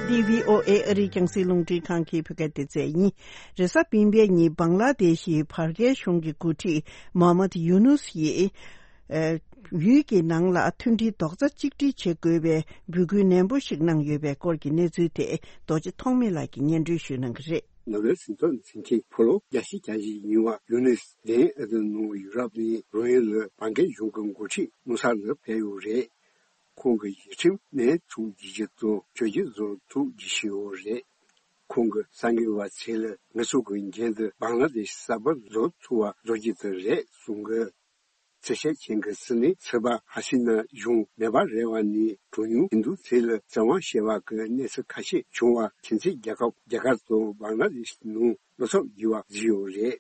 འདི་བྷི་ཨོ་ཨེ་ཨ་རིའི་རྒྱང་སྲིང་རླུང་འཕྲིན་ཁང་གི་བོད་སྐད་སྡེ་ཚན་ཡིན། རེས་གཟའ་སྤེན་པའི་ཉིན་བང་ལ་དེ་ཤི་བར་བརྒལ་གཞུང་གི་འགོ་ཁྲིད་མོ་ཧམ་མད་ཡུ་ནུས་ཡིས། ཨེ། ཡུལ་གྱི་ནང་ལ་མཐུན་སྒྲིལ་རྡོག་རྩ་གཅིག་སྒྲིལ་བྱེད་དགོས་པའི་འབོད་སྐུལ་ནན་པོ་ཞིག་གནང་ཡོད་པའི་སྐོར་གྱི་གནས་ཚུལ་དེ་རྡོ་རྗེ་ཐོགས་མེད་ལགས་ཀྱིས་སྙན་སྒྲོན་ཞུ་གནང་གི་རེད། ནོ་བེལ་ཞི་བདེའི་མཚན་ཆེན་ཕོ་ལོ་བརྒྱད་ཅུ་གྱ་བཞི་ཡིན་པ་ཡུ་ནུས་ལྡན་ཨ་ཏི་ནོ་ཡུ་རོབ་ནས་རོ་ཡིན་ལ་བང་གའི་གཞུང་གི་འགོ་ཁྲིད་ནུ་ས་ལ་ཕེབས་ཡོད་རེད། ཁོང་གི་ཡིག་ཁྲིམས་ནས་ཚུགས་རྒྱུ་ཞིག་དང་ཆོས་བརྒྱུད་བཟོ་ཚུགས་རྒྱུ་ཞིག་ཡོད་རེད། ཁོང་གི་གསར་འགོད་པ་ཚོས་ལ་ང་ཚོ་གི་འགན་དུ་བང་ལ་དེ་ཤི་གསར་པ་བཟོ་ཚུགས་པ་བཟོ་རྒྱུ་དེ་རེད་གསུང་གི། གསལ་བཤད་མཁན་གྱི་སྲིད་བློན་ཚོད་དཔག་ཧ་སི་ན་གཞུང་མེ་འབར་རེ་བ་ནས་གྲངས་ཉུང་ཧིན་རྡུ་ཚོ་ལ་བཙན་དབང་བྱས་པ་གི་གནས་ཚུལ་ཁ་ཤས་བྱུང་བ་ཁྱིམ་མཚེས་རྒྱལ་ཁབ་རྒྱ་གར་དང་བང་ལ་དེ་ཤི་ནང་བློ་འཚབ་ཡོད་པ་བཟོས་ཡོད་རེད།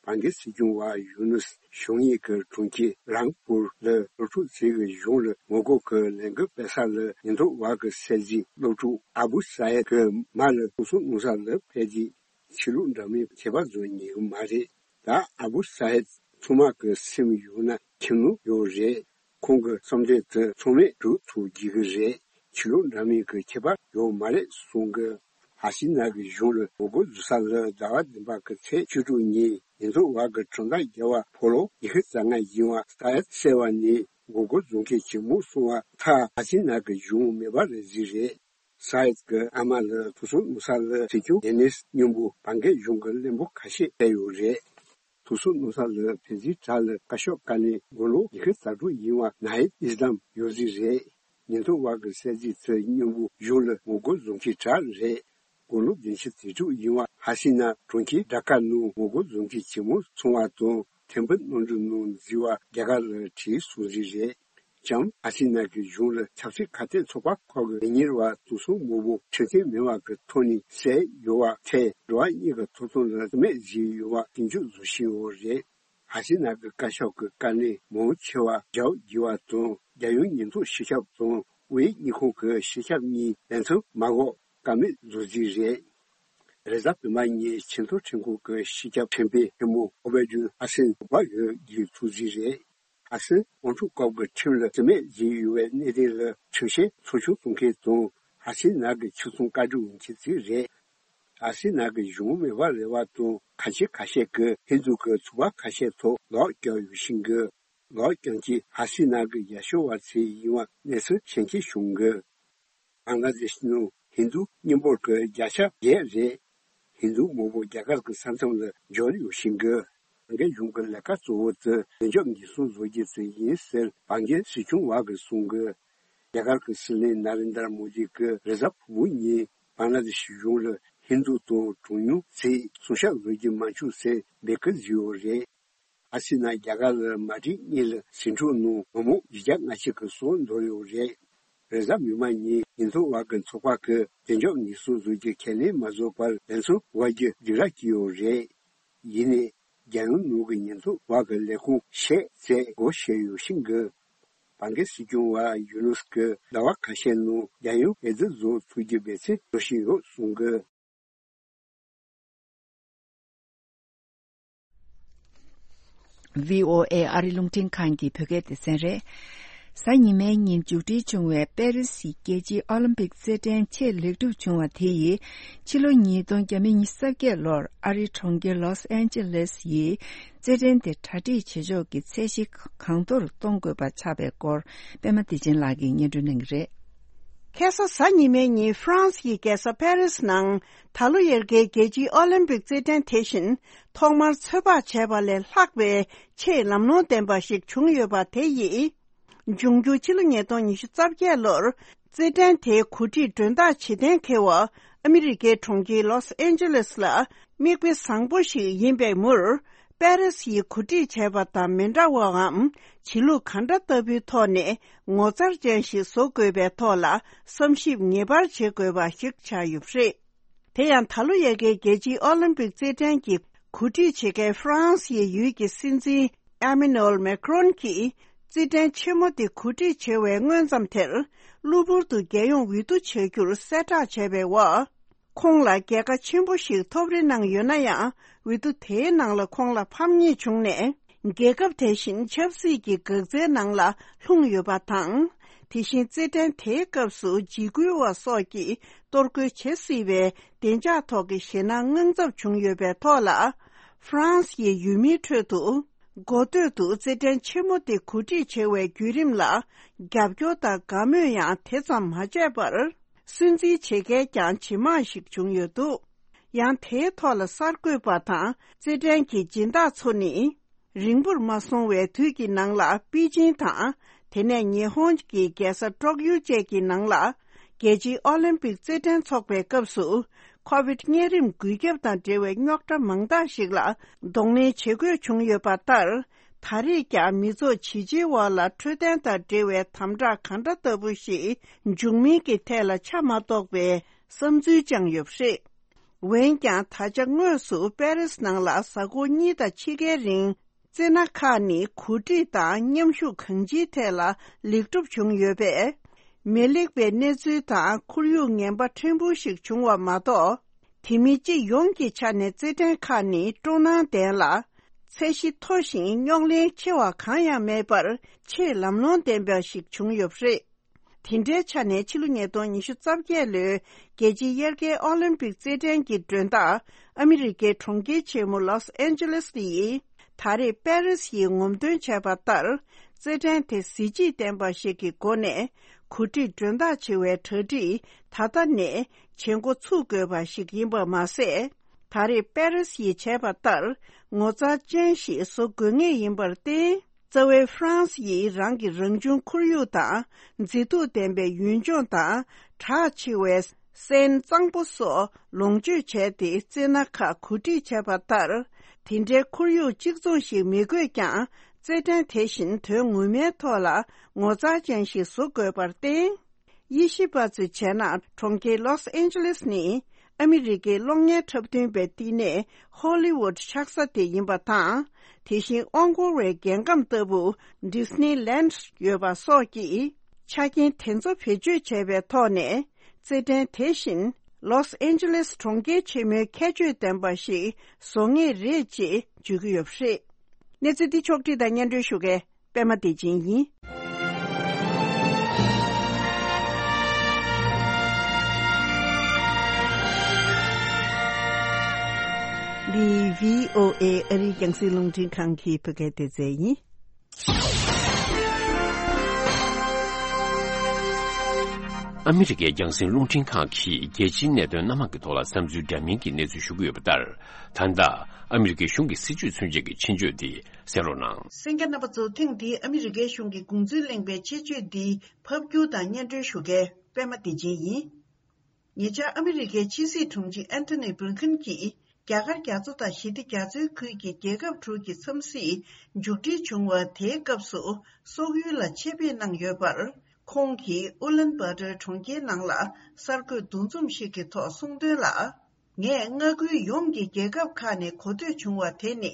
བང་གི་སྲིད་སྐྱོང་བ་ཡུ་ནུས་ཞུང་ཡིག་གི་གྲོང་ཁྱེར་རང་པུར་ལ་སློབ་ཕྲུག་ཚོའི་གཞུང་ལ་ངོ་རྒོལ་གྱི་ལས་འགུལ་སྤེལ་ས་ལ་ཉེན་རྟོག་པ་གི་གསལ་གཟིགས་སློབ་ཕྲུག་ཨ་བུ་ས་ཡད་གི་མ་ལ་ཐུག་སོང་གནང་ས་ལ་ཕེབས་རྗེས་ཆོས་ལུགས་འདྲ་མིན་ཁྱད་པར་བཟོ་ཉན་གི་མ་རེད། ད་ཨ་བུ་ས་ཡད་ཚང་མ་གི་སེམས་ཡོད་ན་ཁྱིམ་ནང་ཡོད་རེད། ཁོང་གི་བསམ་དོན་དེ་ཚང་མས་སྒྲུབ་ཐུབ་རྒྱུ་གི་རེད། ཆོས་ལུགས་འདྲ་མིན་གྱི་ཁྱད་པར་ཡོད་མ་རེད་གསུང་གི། ཧ་སི་ན་གི་གཞུང་ལ་ངོ་རྒོལ་བཟོ་ས་ལ་ཟླ་བ་བདུན་པ་གི་ཚེས་བཅུ་དྲུག་ཉིན་ཉེན་རྟོག་པ་གི་གྲངས་ཐག་བརྒལ་བ་ཕོ་ལོ་ཉི་ཤུ་རྩ་ལྔ་ཡིན་པ་ས་ཡད་གསལ་བ་ནས་ངོ་རྒོལ་བཟོ་མཁན་ཇེ་མང་སོང་བ་ཐག་ཧ་སི་ན་གི་གཞུང་མེ་འབར་རེ་བཟོས་རེད། ས་ཡད་ཀྱི་ཨ་མ་ལ་ཐུག་སོང་གནང་ས་ལ་སྲིད་སྐྱོང་ཌེ་ནིས་མཉམ་པོ་བང་གི་གཞུང་གི་བློན་པོ་ཁ་ཤས་ཕེབས་ཡོད་རེད། ཐུག་སོང་གནང་ས་ལ་ཕེབས་རྗེས་དྲ་ལ་བཀའ་ཤག་བཀའ་ལན་དགུང་ལོ་ཉི་ཤུ་རྩ་དྲུག་ཡིན་པ་ནཱ་ཧིད་ཨིས་ལམ་ཡོད་རྩིས་རེད། ཉེན་རྟོག་པ་གི་གསལ་གཟིགས་ཚོས་མཉམ་པོ་གཞུང་ལ་ངོ་རྒོལ་བཟོ་མཁན་དྲ་རེད། དགུང་ལོ་བདུན་ཅུ་དོན་དྲུག་ཡིན་པ་ཧ་སི་ན་གྲོང་ཁྱེར་ཌ་ཀ་ནང་ངོ་རྒོལ་བཟོ་མཁན་ཇེ་མང་སོང་བ་དང་ཐེམ་པུ་གནམ་གྲུ་ནང་འཛུལ་བ་རྒྱ་གར་ལ་བྲོས་སོང་རྩིས་རེད། ལྕམ་ཧ་སི་ན་གི་གཞུང་ལ་ཆབ་སྲིད་ཁ་གཏད་ཚོགས་པ་ཁག་གི་ལས་གཉེར་བ་ཐུག་སོང་མང་པོ་ཁྲིམས་མཐུན་མིན་པ་གི་ཐོག་ནས་བསད་ཡོད་པ་ཐད་འགྲོ་བ་གཉིས་ཀྱི་ཐོབ་ཐང་ལ་རྩིས་མེད་བཟོས་ཡོད་པ་སྐྱོན་བརྗོད་བཟོ་བཞིན་ཡོད་རེད། ཧ་སི་ན་གི་བཀའ་ཤག་གི་བཀའ་ལན་མང་ཆེ་བ་རྒྱབ་བགྱིས་པ་དང་རྒྱལ་ཡོངས་ཉེན་རྟོག་སྤྱི་ཁྱབ་དང་དབུས་གཉིས་ཁོངས་ཀྱི་སྤྱི་ཁྱབ་གཉིས་ལས་མཚམས་མ་འགོག་བཀག་མེད་བཟོ་རྩིས་རེད། རེས་གཟའ་བདུན་པ་ཉིན་ཆེས་མཐོ་ཁྲིམས་ཁང་གི་སྤྱི་ཁྱབ་ཁྲིམས་དཔོན་ཆེན་མོ་ཨོ་བེ་ཌུལ་ཧ་སན་འབོ་བ་གིས་བརྒྱུད་ཐུག་རྩིས་རེད། ཨ་སི་དབང་ཕྱུག་སྐབས་ཀྱི་ཁྲིམས་ལ་རྩིས་མེད་བཟོས་ཡོད་པའི་གནད་དོན་ལ་ཁྲིམས་བཤེར་ཚོགས་ཆུང་བཙུགས་མཁན་དང་ཧ་སི་ན་གི་ཆོས་སྲུང་བཀའ་སྒྲུབ་མཁན་ཚོ་རེད། ཨ་སི་ན་གི་གཞུང་མེ་འབར་རེ་བ་དང་ཁ་ཆེ་ཁ་ཤས་ཀྱིས་ཧིན་རྡུ་གི་ཚོགས་པ་ཁ་ཤས་ཐོག་ལག་བཀྱགས་ཡོད་བཞིན་གི། ལག་བཀྱགས་མཁན་ཧ་སི་ན་གི་ཡ་ཤོ་བ་ཚོ་ཡིན་པ་གནས་ཚུལ་གསན་མཁན་བྱུང་གི། བང་ལ་དེ་ཤི་ནང་ཧིན་རྡུ་མཉམ་འབོར་གྱི་བརྒྱ་ཆ་བརྒྱད་རེད། ཧིན་རྡུ་མང་པོ་རྒྱ་གར་གྱི་ས་མཚམས་ལ་འབྱོར་ཡོད་བཞིན་གི། བང་གི་གཞུང་གི་ལས་ཀ་གཙོ་བོ་དེ་བདེ་འཇགས་ཉེན་སྲུང་བཟོ་རྒྱུ་དེ་ཡིན་ཟེར་བང་གི་སྲིད་སྐྱོང་བ་གིས་གསུངས་གི། རྒྱ་གར་གྱི་སྲིད་བློན་ན་རེན་དར་མོ་དི་གིས་རེས་གཟའ་ཕུར་བུ་ཉིན་བང་ལ་དེ་ཤི་གཞུང་ལ་ཧིན་རྡུ་དང་གྲངས་ཉུང་ཚོས་སྲུང་སྐྱོབ་བཟོ་རྒྱུ་མ་བཅུག་ཟེར་འབོད་སྐུལ་བཟོས་ཡོད་རེད། ཨ་སི་ན་རྒྱ་གར་ལ་མ་ཏི་གཉིས་ལ་ཟིང་འཁྲུག་ནང་མི་མང་བཞི་བརྒྱ་ལྔ་བཅུ་གི་སྲོག་འདོར་ཡོད་རེད། རེས་གཟའ་མིག་དམར་ཉིན་ཉེན་རྟོག་པ་གི་ཚོགས་པ་གིས་བདེ་འཇགས་ཉེན་སྲུང་བཟོ་རྒྱུ་ཁས་ལེན་མ་བཟོ་བར་ལམ་སང་བར་རྒྱུ་སྒྲིག་ར་བྱས་ཡོད་རེད། ཡིན་ནའི་རྒྱལ་ཡོངས་ནང་གི་ཉེན་རྟོག་པ་གི་ལས་ཁུངས་བཤད་ཚད་སྒོ་ཕྱེ་ཡོད་བཞིན་གི། བང་གི་སྲིད་སྐྱོང་བ་ཡུ་ནུས་ཀྱིས་ཟླ་བ་ཁ་ཤས་ནང་རྒྱལ་ཡོངས་འོས་བསྡུ་བཟོ་ཐུབ་རྒྱུ་འབད་བརྩོན་འགྲོ་བཞིན་ཡོད་གསུངས་གི། བྷི་ཨོ་ཨེ་ཨ་རི་རླུང་འཕྲིན་ཁང་གི་བོད་སྐད་སྡེ་ཚན་རེད། གཟའ་ཉི་མའི་ཉིན་མཇུག་སྒྲིལ་བྱུང་བའི་པེ་རི་སི་རྒྱལ་སྤྱིའི་ཨོ་ལིམ་པིག་རྩེད་འགྲན་ཆེས་ལེགས་གྲུབ་བྱུང་བ་དེ་ཡིས་ཕྱི་ལོ་ཉིས་སྟོང་ཉི་ཤུ་རྩ་བརྒྱད་ལོར་ཨ་རིའི་གྲོང་ཁྱེར་ལོས་ཨན་ཇེ་ལེས་ཡིས་རྩེད་འགྲན་དེ་གྲ་སྒྲིག་བྱེད་ཕྱོགས་ཀྱི་ཚད་གཞི་གང་མཐོར་གཏོང་དགོས་པ་ཆགས་པའི་སྐོར་པད་མ་བདེ་ཆེན་ལགས་ཀྱིས་སྙན་སྒྲོན་གནང་གི་རེད། ཁ་སང་གཟའ་ཉི་མའི་ཉིན་ཧྥ་རན་སི་ཡི་རྒྱལ་ས་ཕ་རི་སི་ནང་ད་ལོ་ཡར་རྒྱས་རྒྱལ་སྤྱིའི་ཨོ་ལིམ་པིག་རྩེད་འགྲན་དེ་བཞིན་ཐོག་མར་ཚོད་དཔག་བྱས་པ་ལས་ལྷག་པའི་ཆེས་ལམ་ལྷོང་ལྡན་པ་ཞིག་བྱུང་ཡོད་པ་དེ་ཡིས། འབྱུང་འགྱུར་ཕྱི་ལོ་ཉིས་སྟོང་ཉི་ཤུ་རྩ་བརྒྱད་ལོར་རྩེད་འགྲན་དེའི་གོ་སྒྲིག་མགྲོན་བདག་བྱེད་གཏན་འཁེལ་བ་ཨ་མི་རི་ཀའི་གྲོང་ཁྱེར་ལོས་ཨན་ཇེ་ལེས་ལ་མིག་དཔེ་བཟང་པོ་ཞིག་ཡིན་པའི་མུར། པེ་རེ་སི་ཡིས་གོ་སྒྲིག་བྱས་པ་དང་མི་འདྲ་བའམ་བྱེད་ལུགས་ག་འདྲ་ལྟ་བུའི་ཐོག་ནས་ངོ་མཚར་ཅན་ཞིག་བཟོ་དགོས་པའི་ཐོག་ལ་བསམ་ཞིབ་ངེས་པར་བྱེད་དགོས་པ་ཞིག་ཆགས་ཡོད་པ་རེད། དེ་ཡང་ད་ལོ་ཡ་གིའི་རྒྱལ་སྤྱིའི་ཨོ་ལིམ་པིག་རྩེད་འགྲན་གྱི་གོ་སྒྲིག་བྱེད་མཁན་ཧྥ་རན་སི་ཡི་ཡུལ་གྱི་སྲིད་འཛིན་ཨེ་མེ་ནུ་ཨེལ་མེ་ཁྲོན་གྱིས་རྩེད་འགྲན་ཆེན་མོ་དེ་གོ་སྒྲིག་བྱེད་པའི་སྔོན་ཙམ་དེར་གློ་བུར་དུ་རྒྱལ་ཡོངས་འོས་བསྡུ་བྱ་རྒྱུར་གསལ་བསྒྲགས་བྱས་པའི་འོག་ཁོང་ལ་རྒྱལ་ཁ་ཆེན་པོ་ཞིག་ཐོབ་རེ་གནང་ཡོད་ན་ཡང་། འོས་བསྡུ་དེའི་ནང་ལ་ཁོང་ལ་ཕམ་ཉེས་བྱུང་ནས། རྒྱལ་ཁབ་དེ་བཞིན་ཆབ་སྲིད་ཀྱི་འགག་རྩའི་ནང་ལ་ལྷུང་ཡོད་པ་དང་། དེ་བཞིན་རྩེད་འགྲན་དེའི་སྐབས་སུ་འཇིགས་སྐུལ་བ་སོགས་ཀྱིས་གཏོར་རྒོལ་བྱེད་སྲིད་པའི་བདེ་འཇགས་ཐོག་གི་ཞེད་སྣང་དངངས་འཚབ་བྱུང་ཡོད་པའི་ཐོག་ལ། ཧྥ་རན་སི་ཡི་ཡུལ་མིའི་ཁྲོད་དུ། འགོ་སྟོད་དུ་རྩེད་འགྲན་ཆེན་མོ་དེ་གོ་སྒྲིག་བྱེད་པའི་བརྒྱུད་རིམ་ལ་རྒྱབ་སྐྱོར་དང་དགའ་མོས་ཡང་དེ་ཙམ་མ་བྱས་པར། སུན་གཙེར་བྱེད་མཁན་ཀྱང་ཇེ་མང་ཞིག་བྱུང་ཡོད་འདུག་ཡང་དེའི་ཐོག་ལ་གསར་འགོད་པ་དང་རྩེད་འགྲན་གྱི་སྦྱིན་བདག་ཚོ་ནི། རིང་པོར་མ་སོང་བའི་དུས་ཀྱི་ནང་ལ་པེ་ཅིང་དང་། དེ་ནས་ཉི་ཧོང་གི་རྒྱལ་ས་ཀྲོག་ཡུ་བཅས་ཀྱི་ནང་ལ། རྒྱལ་སྤྱིའི་ཨོ་ལིམ་པིག་རྩེད་འགྲན་འཚོགས་པའི་སྐབས་སུ། ཁོ་བིད་གཉན་རིམས་འགོས་ཁྱབ་དང་འབྲེལ་བའི་རྙོག་དྲ་མང་དག་ཞིག་ལ་གདོང་ལེན་བྱེད་དགོས་བྱུང་ཡོད་པ་ལྟར། ད་རེས་ཀྱང་མི་ཚོགས་ཇི་ཆེའི་འོག་ལ་འཕྲོད་བསྟེན་དང་འབྲེལ་བའི་དམ་དྲག་ག་འདྲ་ལྟ་བུ་ཞིག་འབྱུང་མིན་གྱི་ཐད་ལ་ཆ་མ་རྟོགས་པའི་བསམ་ཚུལ་བཅངས་ཡོད་པ་རེད། འོན་ཀྱང་ད་ཆ་དངོས་སུ་པེ་རིས་ནང་ལ་གཟའ་འཁོར་གཉིས་དང་ཕྱེད་ཀའི་རིང་རྩེད་སྣ་ཁག་ནི་གོ་སྒྲིག་དང་མཉམ་ཞུགས་གང་ཅིའི་ཐད་ལ་ལེགས་གྲུབ་བྱུང་ཡོད་པས། མི་ལེགས་པའི་གནས་ཚུལ་དང་ཁོར་ཡུག་ངན་པ་ཕྲན་བུ་ཞིག་བྱུང་བ་མ་གཏོགས། དེ་མིན་སྤྱི་ཡོངས་ཀྱི་ཆ་ནས་རྩེད་འགྲན་ཁག་ནི་སྤྲོ་སྣང་ལྡན་ལ། ཚད་གཞི་མཐོ་ཞིང་རྙོག་གླེང་ཆེ་བ་གང་ཡང་མེད་པར་ཆེས་ལམ་ལྷོང་ལྡན་པ་ཞིག་བྱུང་ཡོད་པ་རེད། དེ་འདྲའི་ཆ་ནས་ཕྱི་ལོ་ཉིས་སྟོང་ཉི་ཤུ་རྩ་བརྒྱད་ལོའི་རྒྱལ་སྤྱིའི་དབྱར་ཁའི་ཨོ་ལིམ་པིག་རྩེད་འགྲན་གྱི་མགྲོན་བདག་ཨ་མི་རི་ཀའི་གྲོང་ཁྱེར་ཆེན་མོ་ལོས་ཨན་ཇེ་ལེས་ཡིས་ད་རེས་པེ་རིས་ཡིས་ངོམ་སྟོན་བྱས་པ་ལྟར། རྩེད་འགྲན་དེ་གཟི་བརྗིད་ལྡན་པ་ཞིག་གི་སྒོ་ནས་གོ་སྒྲིག་མགྲོན་བདག་བྱེད་པའི་གྲ་སྒྲིག་ད་ལྟ་ནས་བྱེད་འགོ་ཚུགས་དགོས་པ་ཞིག་ཡིན་པ་མ་ཟད། ད་རེས་པེ་རིས་ཡིས་བྱས་པ་ལྟར་ངོ་མཚར་ཅན་ཞིག་བཟོ་དགོས་ངེས་ཡིན་པར་བརྟེན། རྩ་བའི་ཧྥ་རན་སི་ཡིས་རང་གི་རང་བྱུང་ཁོར་ཡུག་དང་མཛེས་སྡུག་ལྡན་པའི་ཡུལ་ལྗོངས་དང་གྲགས་ཆེ་བའི་སེན་གཙང་པོ་སོགས་ལོངས་སྤྱོད་བྱས་ཏེ་རྩེད་སྣ་ཁག་གོ་སྒྲིག་བྱས་པ་ལྟར། དེ་འདྲའི་ཁོར་ཡུག་གཅིག་མཚུངས་ཤིག་མི་དགོས་ཀྱང་རྩེད་འགྲན་དེ་བཞིན་དོན་ངོ་མའི་ཐོག་ལ་ངོ་མཚར་ཅན་ཞིག་བཟོ་དགོས་པར་བརྟེན། དབྱེ་ཞིབ་པ་ཚོས་བྱས་ན་གྲོང་ཁྱེར་ལོས་ཨན་ཇེ་ལེས་ནི་ཨ་མི་རི་ཀའི་གློག་བརྙན་འཁྲབ་སྟོན་པའི་བསྟི་གནས་ཧོ་ལི་ཝུད་ཆགས་ས་དེ་ཡིན་པ་དང་། དེ་བཞིན་དབང་སྐོར་བའི་རྒྱལ་ཁམས་ལྟ་བུ་ཌི་སི་ནི་ལན་ཌི་ཡོད་པ་སོགས་ཀྱི་ཆ་རྐྱེན་དེ་ཚོ་བེད་སྤྱོད་བྱས་པའི་ཐོག་ནས་རྩེད་འགྲན་དེ་བཞིན་ལོས་ཨན་ཇེ་ལེས་གྲོང་ཁྱེར་ཆེན་མོའི་ཁྱད་ཆོས་ལྡན་པ་ཞིག་བཟོ་ངེས་རེད་ཅེས་བརྗོད་ཀྱི་ཡོད་པ་རེད། གནས་ཚུལ་འདི་ཕྱོགས་བསྒྲིགས་དང་སྙན་སྒྲོན་ཞུ་མཁན། པད་མ་བདེ་ཆེན་ཡིན། འདི་བྷི་ཨོ་ཨེ་ཨ་རིའི་རྒྱང་སྲིང་རླུང་འཕྲིན་ཁང་གི་བོད་སྐད་སྡེ་ཚན་ཡིན། ཨ་མི་རི་ཀའི་རྒྱང་སྲིང་རླུང་འཕྲིན་ཁང་གིས་རྒྱལ་སྤྱིའི་གནད་དོན་སྣ་མང་གི་ཐོག་ལ་བསམ་ཚུལ་འདྲ་མིན་གྱི་གནས་ཚུལ་ཞུ་གི་ཡོད་པ་ལྟར། ད་ལྟ་ཨ་མི་རི་ཀའི་གཞུང་གི་སྲིད་བྱུས་མཚོན་བྱེད་ཀྱི་ཆེད་བརྗོད་འདི་གསན་རོགས་གནང་། གསན་མཁན་རྣམ་པ་ཚོ། ཐེངས་འདིའི་ཨ་མི་རི་ཀའི་གཞུང་གི་དགོངས་ཚུལ་གླེང་བའི་ཆེད་བརྗོད་འདི་ཕབ་སྒྱུར་དང་སྙན་སྒྲོན་ཞུ་མཁན་པད་མ་བདེ་ཆེན་ཡིན། ཉེ་ཆར་ཨ་མི་རི་ཀའི་ཕྱི་སྲིད་དྲུང་ཆེ་ཨན་ཐོ་ནི་བྷི་ལིན་ཁིན་གྱིས་རྒྱ་གར་རྒྱ་མཚོ་དང་ཞི་བདེ་རྒྱ་མཚོའི་ཁུལ་གྱི་རྒྱལ་ཁབ་དྲུག་གི་འཚམས་གཟིགས་མཇུག་སྒྲིལ་བྱུང་བ་དེའི་སྐབས་སུ་སོག་ཡུལ་ལ་ཆེད་ཕེབས་གནང་ཡོད་པར། ཁོང་གིས་ཨུ་ལན་བྷ་ཏར་གྲོང་ཁྱེར་ནང་ལ་གསར་འགོད་འདུ་འཛོམས་ཤིག་གི་ཐོག་གསུངས་དོན་ལ། ངས་མངའ་ཁུལ་ཡོངས་ཀྱི་རྒྱལ་ཁབ་ཁག་ནས་གོ་ཐོས་བྱུང་བ་དེ་ནི།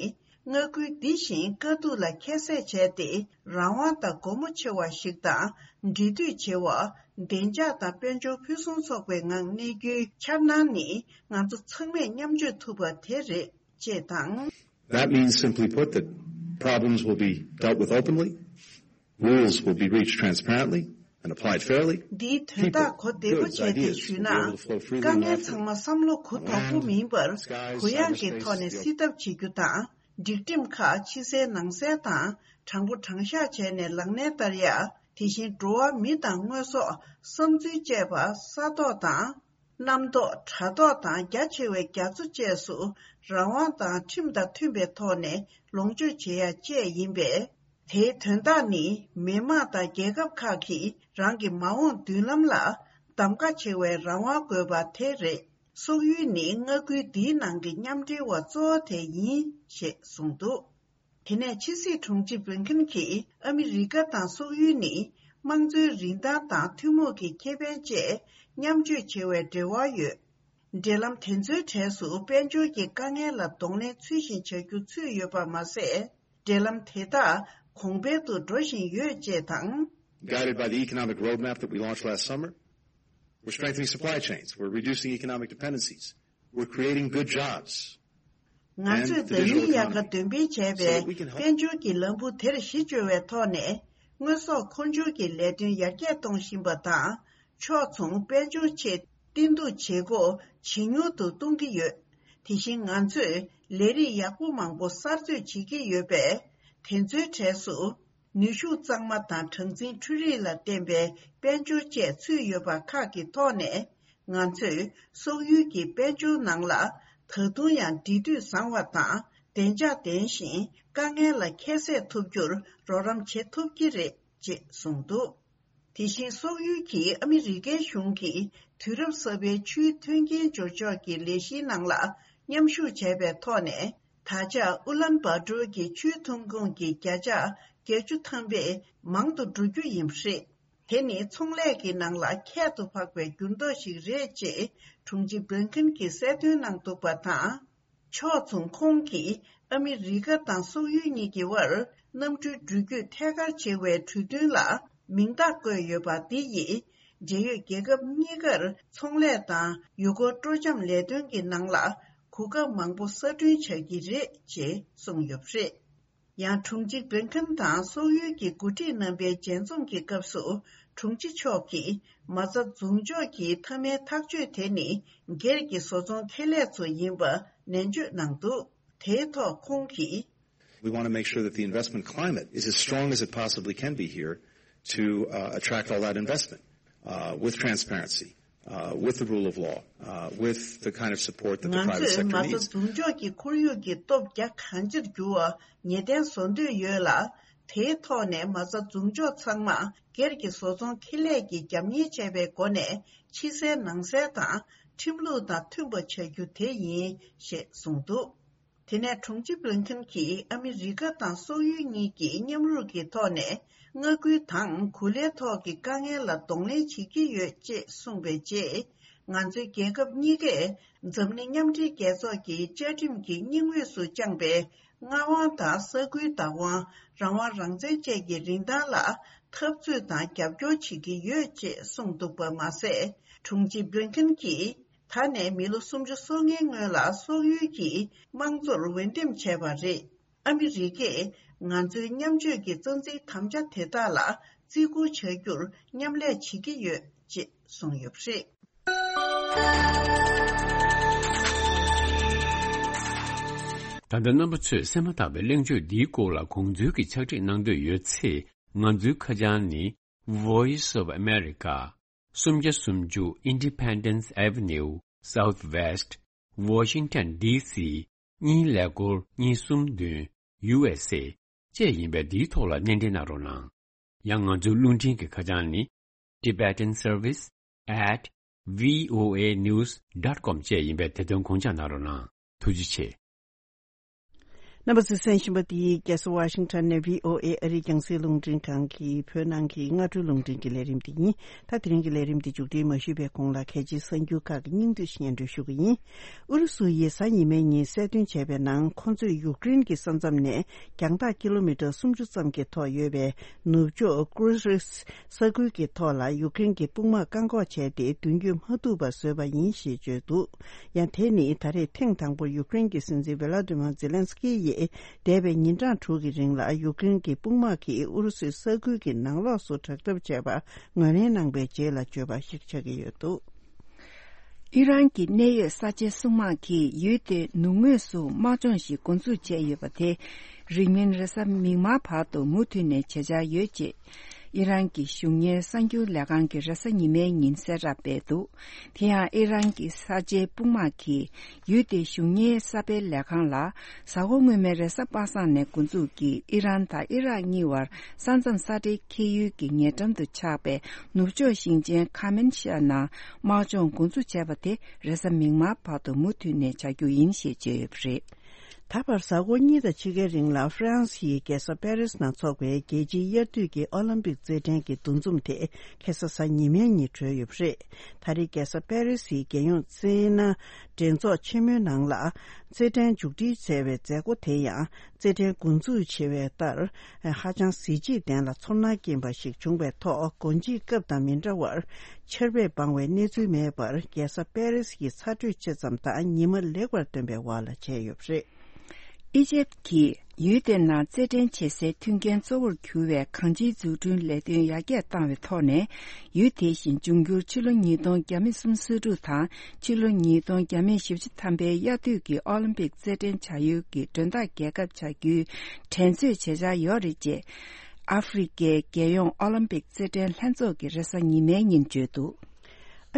མངའ་ཁུལ་འདི་བཞིན་དཀའ་སྡུག་ལ་ཁྱད་བསད་བྱས་ཏེ། རང་དབང་དང་སྒོ་མོ་ཕྱེ་བ་ཞིག་དང་། འབྲེལ་མཐུད་བྱེད་པ། བདེ་འཇགས་དང་དཔལ་འབྱོར་ཕུན་སུམ་ཚོགས་པའི་ངང་གནས་རྒྱུའི་འཆར་སྣང་ནི། ང་ཚོ་ཚང་མས་མཉམ་སྤྱོད་ཐུབ་པ་དེ་རེད། ཅེས་དང་། That means, simply put, that problems will be dealt with openly, rules will be reached transparently and applied fairly. འདིའི་དོན་དག་གོ་བདེ་པོ་བྱས་ཏེ་ཞུས་ན། དཀའ་ངལ་ཚང་མ་བསམ་བློ་གུ་དོག་པོ་མིན་པར། གུ་ཡངས་ཀྱི་ཐོག་ནས་སེལ་ཐབས་བྱེད་རྒྱུ་དང་། སྒྲིག་ཁྲིམས་ཁག་ཕྱི་གསལ་ནང་གསལ་དང་། དྲང་པོ་དྲང་བཞག་བྱས་ནས་ལག་ལེན་བསྟར་ཡ། དེ་བཞིན་འགྲོ་བ་མི་དང་དངོས་ཟོག་བསམ་ཚུལ་བཅས་པ་ས་ཐོག་དང་། གནམ་ཐོག་དྲ་ཐོག་དང་རྒྱ་ཆེ་བའི་རྒྱ་མཚོ་བཅས་སུ་རང་དབང་དང་ཁྲིམས་དང་མཐུན་པའི་ཐོག་ནས་ལོངས་སྤྱོད་བྱེད་ཡ་བཅས་ཡིན་པས། དེའི་དོན་དག་ནི་མི་དམངས་དང་རྒྱལ་ཁབ་ཁག་གིས་རང་གི་མ་འོངས་མདུན་ལམ་ལ་གདམ་ག་བྱེད་པའི་རང་དབང་དགོས་པ་དེ་རེད། སོག་ཡུལ་ནི་མངའ་ཁུལ་འདིའི་ནང་གི་མཉམ་འབྲེལ་བ་གཙོ་བོ་དེ་ཡིན་ཞེས་གསུངས་འདུག་དེ་ནས་ཕྱི་སྲིད་དྲུང་ཆེ་བྷི་ལིན་ཁིན་གྱིས་ཨ་མི་རི་ཀ་དང་སོག་ཡུལ་ནི་དམངས་གཙོའི་རིན་ཐང་དང་ཐུན་མོང་གི་ཁེ་ཕན་བཅས་མཉམ་སྤྱོད་བྱེད་པའི་འབྲེལ་བ་ཡོད། འབྲེལ་ལམ་དེ་ཚོའི་གྲས་སུ་དཔལ་འབྱོར་གྱི་དཀའ་ངལ་ལ་གདོང་ལེན་ཚུལ་བཞིན་བྱ་རྒྱུ་ཚུད་ཡོད་པ་མ་ཟད། འབྲེལ་ལམ་དེ་དག་གོང་འཕེལ་དུ་འགྲོ་བཞིན་ཡོད་ཅེས་དང་། Guided by the economic roadmap that we launched last summer, we're strengthening supply chains, we're reducing economic dependencies, we're creating good jobs. ང་ཚོས་ཟླ་ཡུན་དབྱར་ཁ་འདོན་སྤེལ་བྱས་པའི་དཔལ་འབྱོར་གྱི་ལམ་བུ་དེར་གཞི་བཅོལ་བའི་ཐོག་ནས། དངོས་ཟོག་མཁོ་སྦྱོར་གྱི་ལས་དོན་ཡར་རྒྱས་གཏོང་བཞིན་པ་དང་། ཕྱོགས་མཚུངས་དཔལ་འབྱོར་ཆེད་བསྟུན་གཏུག་བྱེད་སྒོ་ཇེ་ཉུང་དུ་གཏོང་གི་ཡོད། དེ་བཞིན་ང་ཚོས་ལས་རིགས་ཡག་པོ་མང་པོ་གསར་གཏོད་བྱེད་ཀྱི་ཡོད་པས། དེ་ཚོའི་གྲས་སུ། ནུས་ཤུགས་གཙང་མ་དང་གྲངས་འཛིན་འཕྲུལ་རིག་ལ་བརྟེན་པའི་དཔལ་འབྱོར་བཅས་ཚུད་ཡོད་པ་ཁག་གི་ཐོག་ནས། ང་ཚོས་སོག་ཡུལ་གྱི་དཔལ་འབྱོར་ནང་ལ་ད་དུང་ཡང་འབྲེལ་མཐུད་བཟང་བ་དང་བདེ་འཇགས་ལྡན་ཞིང་། དཀའ་ངལ་ལ་ཁྱད་བསད་ཐུབ་རྒྱུར་རོགས་རམ་བྱེད་ཐུབ་ཀྱི་རེད་ཅེས་གསུངས་འདུག་དེ་བཞིན་སོག་ཡུལ་གྱིས་ཨ་མི་རི་ཀའི་གཞུང་གིས་དུས་རབས་གསར་པའི་ཆུའི་མཐུན་རྐྱེན་སྦྱོར་ཕྱོགས་ཀྱི་ལས་གཞིའི་ནང་ལ་མཉམ་ཞུགས་བྱས་པའི་ཐོག་ནས། ད་ཆ་ཨུ་ལན་བཱ་ཏོར་གྱི་ཆུའི་ཐོན་ཁུངས་ཀྱི་བརྒྱ་ཆ་བརྒྱད་ཅུ་ཐམ་པས་མང་དུ་འགྲོ་རྒྱུ་ཡིན་པ་རེད། དེ་ནི་ཚོང་ལས་ཀྱི་ནང་ལ་ཁྱད་དུ་འཕགས་པའི་འགྱུར་ལྡོག་ཞིག་རེད་ཅེས་དྲུང་ཆེ་བྷི་ལིན་ཁིན་གྱིས་གསལ་སྟོན་གནང་འདུག་པ་དང་། ཕྱོགས་མཚུངས་ཁོང་གིས་ཨ་མི་རི་ཀ་དང་སོག་ཡུལ་གཉིས་ཀྱི་དབར་གནམ་གྲུའི་འགྲུལ་སྐྱོད་ཐད་ཀར་བྱེད་པའི་གྲོས་མཐུན་ལ་མིང་རྟགས་བཀོད་ཡོད་པ་འདི་ཡིས་འབྲེལ་ཡོད་རྒྱལ་ཁབ་གཉིས་ཀར་ཚོང་ལས་དང་ཡུལ་སྐོར་སྤྲོ་འཆམ་ལས་དོན་གྱི་ནང་ལ་གོ་སྐབས་མང་པོ་གསར་སྐྲུན་བྱ་གི་རེད་ཅེས་གསུངས་ཡོད་པ་རེད། ཡང་དྲུང་ཆེ་བྷི་ལིན་ཁིན་དང་སོག་ཡུལ་གྱི་འགོ་ཁྲིད་རྣམ་པའི་མཇལ་འཛོམས་ཀྱི་སྐབས་སུ་དྲུང་ཆེ་མཆོག་གིས་མ་རྩ་འཛུགས་འཇོག་གི་མཐའ་མའི་ཐག་གཅོད་དེ་ནི་སྒེར་གྱི་བཟོ་ཚོང་ཁེ་ལས་ཚོ་ཡིན་པ་ནན་བརྗོད་གནང་འདུག་དེའི་ཐོག་ཁོང་གིས། We want to make sure that the investment climate is as strong as it possibly can be here to uh, attract all that investment uh, with transparency, uh, with the rule of law, uh, with the kind of support that the ང་private ཚོས་sector མ་རྩ་needs. འཛུགས་འཇོག་གི་ཁོར་ཡུག་གི་སྟོབས་རྒྱ་གང་ཆེར་འགྱུར་བ་ངེས་གཏན་བཟོ་འདོད་ཡོད་ལ། དེའི་ཐོག་ནས་མ་རྩ་འཛུགས་འཇོག་ཚང་མ་སྒེར་གྱི་བཟོ་ཚོང་ཁེ་ལས་ཀྱིས་རྒྱབ་གཉེར་བྱས་པའི་སྒོ་ནས་ཕྱི་གསལ་ནང་གསལ་དང་ཁྲིམས་ལུགས་དང་མཐུན་པ་བྱ་རྒྱུ་དེ་ཡིན་ཞེས་གསུངས་འདུག་དེ་ནས་དྲུང་ཆེ་བྷི་ལིན་ཁིན་གྱིས་ཨ་མི་རི་ཀ་དང་སོག་ཡུལ་གཉིས་ཀྱི་མཉམ་རུབ་ཀྱི་ཐོག་ནས་མངའ་ཁུལ་དང་གོ་ལའི་ཐོག་གི་དཀའ་ངལ་ལ་གདོང་ལེན་བྱེད་ཀྱི་ཡོད་ཅེས་གསུངས་པའི་རྗེས། ང་ཚོའི་རྒྱལ་ཁབ་གཉིས་ཀས་འཛམ་གླིང་མཉམ་འབྲེལ་རྒྱལ་ཚོགས་ཀྱི་བཅའ་ཁྲིམས་ཀྱི་སྙིང་དབུས་སུ་བཅངས་པའི་མངའ་དབང་དང་ས་ཁུལ་བདག་དབང་། རང་དབང་རང་བཙན་བཅས་ཀྱི་རིན་ཐང་ལ་འཐབ་རྩོད་དང་རྒྱབ་སྐྱོར་བྱེད་ཀྱི་ཡོད་ཅེས་གསུངས་འདུག་པ་མ་ཟད། དྲུང་ཆེ་བྷི་ལིན་ཁིན་གྱིས། ད་ནས་མི་ལོ་སུམ་ཅུ་སོ་ལྔའི་སྔོན་ལ་སོག་ཡུལ་གྱིས་དམངས་གཙོར་འོས་འདེམས་བྱས་པ་རེད། ཨ་མི་རི་ཀས་ང་ཚོའི་མཉམ་སྤྱོད་ཀྱི་རྩ་འཛིན་དམ་བཅའ་དེ་དག་ལ་བརྩི་བཀུར་བྱ་རྒྱུར་མཉམ་ལས་བྱེད་ཀྱི་ཡོད་ཅེས་གསུངས་ཡོད་པ་རེད། ད་ལྟ་རྣམ་པ་ཚོས་གསན་མ་ཐག་པའི་གླེང་བརྗོད་འདིའི་སྐོར་ལ་དགོངས་ཚུལ་གྱི་ཕྱག་བྲིས་གནང་འདོད་ཡོད་ཚེ། ང་ཚོའི་ཁ་བྱང་ནི། Voice of America། སུམ་བརྒྱ་སུམ་ཅུ་Independence Avenue Southwest Washington D C གཉིས་ཀླད་ཀོར་གཉིས་གསུམ་བདུན་U S A བཅས་ཡིན་པས། འདིའི་ཐོག་ལ་སྣེ་འདྲེན་གནང་རོགས་གནང་། ཡང་ང་ཚོའི་རླུང་འཕྲིན་གྱི་ཁ་བྱང་ནི། Tibetan Service at V O A News dot com བཅས་ཡིན་པས། དེ་དོན་དགོངས་འཇགས་གནང་རོགས་གནང་། ཐུགས་རྗེ་ཆེ། རྣམ་པ་ཚོས་གསན་བཞིན་པ་འདི་རྒྱལ་ས་ཝ་ཤིང་ཊོན་ནས་V O A ཨ་རིའི་རྒྱང་སྲིང་རླུང་འཕྲིན་ཁང་གི་བོད་ནང་གི་སྔ་དྲོའི་རླུང་འཕྲིན་གྱི་ལས་རིམ་འདི་ཡིན། ད་དེ་རིང་གི་ལས་རིམ་འདི་མཇུག་སྒྲིལ་མ་ཞུས་པའི་གོང་ལ། གལ་ཆེའི་གསར་འགྱུར་ཁག་གི་སྙིང་བསྡུས་སྙན་སྒྲོན་ཞུ་གི་ཡིན། ཨུ་རུ་སུ་ཡིས་གཟའ་ཉི་མའི་ཉིན་གསལ་སྟོན་བྱས་པའི་ནང་། ཁོ་ཚོས་ཡུཀ་རེན་གྱི་ས་མཚམས་ནས་རྒྱང་ཐག་ཀི་ལོ་མི་ཊར་སུམ་ཅུ་ཙམ་གྱི་ཐོག་ཡོད་པའི་ནུབ་ཕྱོགས་ཀུ་རིས་ས་ཁུལ་གྱི་ཐོག་ལ་ཡུཀ་རེན་གྱི་དཔུང་དམག་བཀག་འགོག་བྱས་ཏེ། མདུན་སྐྱོད་མ་ཐུབ་པ་བཟོས་པ་ཡིན་ཞེས་བརྗོད་འདུག་ཡང་དེ་ནི་ད་རེས་ཐེངས་དང་པོར་ཡུཀ་རེན་གྱི་སྲིད་འཛིན་ཝེ་ལ་ཏི་མ་ཛེ་ལན་སི་ཀི་ཡིས་འདས་པའི་ཉིན་གྲངས་དྲུག་གི་རིང་ལ་ཡུཀ་རེན་གྱི་དཔུང་དམག་གིས་ཨུ་རུ་སུའི་ས་ཁུལ་གྱི་ནང་ལོགས་སུ་དྲག་འཐབ་བྱས་པ་ངོས་ལེན་གནང་པའི་རྗེས་ལ་བརྗོད་པ་ཞིག་ཆགས་ཀྱི་ཡོད་འདུག་ཨི་རན་གྱི་གནད་ཡོད་གསར་བརྗེའི་སྲུང་དམག་གིས་ཡུལ་དེའི་ནུབ་ངོས་སུ་དམག་སྦྱོང་ཞིག་འགོ་འཛུགས་བྱས་ཡོད་པ་དེ། རིང་མིན་རེས་གཟའ་མིག་དམར་བར་དུ་མུ་མཐུད་ནས་བྱེད་འཆར་ཡོད་ཅེས། ཨི་རན་གྱི་གཞུང་གཉེར་གསར་འགྱུར་ལས་ཁང་གིས་རེས་གཟའ་ཉི་མའི་ཉིན་གསལ་བསྒྲགས་སྤེལ་འདུག་དེ་ཡང་ཨི་རན་གྱི་གསར་བརྗེའི་དཔུང་དམག་གིས་ཡུལ་དེའི་གཞུང་གཉེར་གསར་སྤེལ་ལས་ཁང་ལ། གཟའ་འཁོར་སྔོན་མའི་རེས་གཟའ་པ་སངས་ནས་འགོ་འཛུགས་ཀྱིས་ཨི་རན་དང་ཨི་རག་གཉིས་བར་ས་མཚམས་ས་འབྲེལ་འཁེལ་ཡུལ་གྱི་ཉེ་འགྲམ་དུ་ཆགས་པའི་ནུབ་ཕྱོགས་ཞིང་ཆེན་ཁ་མན་ཤ་ནང་དམག་སྦྱོང་འགོ་འཛུགས་བྱས་པ་དེ་རེས་གཟའ་མིག་དམར་བར་དུ་མུ་མཐུད་ནས་བྱ་རྒྱུ་ཡིན་ཞེས་བརྗོད་ཡོད་པ་རེད། ད་བར་གཟའ་འཁོར་གཉིས་དང་ཕྱེད་ཀའི་རིང་ལ་ཧྥ་རན་སིའི་རྒྱལ་ས་པེ་རིས་ནང་འཚོགས་པའི་རྒྱལ་སྤྱིའི་དབྱར་དུས་ཀྱི་ཨོ་ལིམ་པིག་རྩེད་འགྲན་གྱི་འདུ་འཛོམས་དེ་ཁ་སང་གཟའ་ཉི་མའི་ཉིན་གྲོལ་ཡོད་པ་རེད། ད་རེས་རྒྱལ་ས་པེ་རིས་སི་རྒྱལ་ཡོངས་རྩེད་སྣ་འགྲན་ཚོགས་ཆེན་མོའི་ནང་ལ་རྩེད་འགྲན་མཇུག་སྒྲིལ་མཛད་པའི་མཛད་སྒོ་དེ་ཡང་རྩེད་འགྲན་འགོ་འཛུགས་བྱེད་པའི་ལྟར་ཧ་ཅང་གཟི་བརྗིད་ལྡན་ལ་ཚོར་སྣང་སྐྱེན་པ་ཞིག་བྱུང་བའི་ཐོག་སྒོ་འབྱེད་སྐབས་དང་མི་འདྲ་བར་ཆར་པས་སྦང་བའི་གནས་ཚུལ་མེད་པར་རྒྱལ་ས་པེ་རིས་ཀྱི་ཚ་དྲོད་ཆེ་ཙམ་དང་ཉི་མ་ལེགས་པར་ཐོན་པའི་འོག་ལ་བྱས་ཡོད་པ་རེད། ཨི་ཇེབ་ཀྱིས་ཡུལ་དེ་ནང་རྩེད་འགྲན་བྱེད་སའི་མཐུན་རྐྱེན་གཙོ་བོར་གྱུར་བའི་གང་ཅིའི་འཛུགས་སྐྲུན་ལས་དོན་ཡར་རྒྱས་བཏང་བའི་ཐོག་ནས། ཡུལ་དེ་བཞིན་འབྱུང་འགྱུར་ཕྱི་ལོ་ཉིས་སྟོང་བརྒྱ་མེད་སུམ་ཅུ་སོ་དྲུག་དང་ཕྱི་ལོ་ཉིས་སྟོང་བརྒྱ་མེད་བཞི་བཅུ་ཐམ་པའི་དབྱར་དུས་ཀྱི་ཨོ་ལིམ་པིག་རྩེད་འགྲན་བྱ་ཡུལ་གྱི་མགྲོན་བདག་རྒྱལ་ཁབ་བྱ་རྒྱུའི་འགྲན་རྩོད་བྱེད་འཆར་ཡོད་རེད་ཅེས། ཨ་ཧྥེ་རི་ཁའི་རྒྱལ་ཡོངས་ཨོ་ལིམ་པིག་རྩེད་འགྲན་ལྷན་ཚོགས་ཀྱིས་རེས་གཟའ་ཉི་མའི་ཉིན་བརྗོད་འདུག་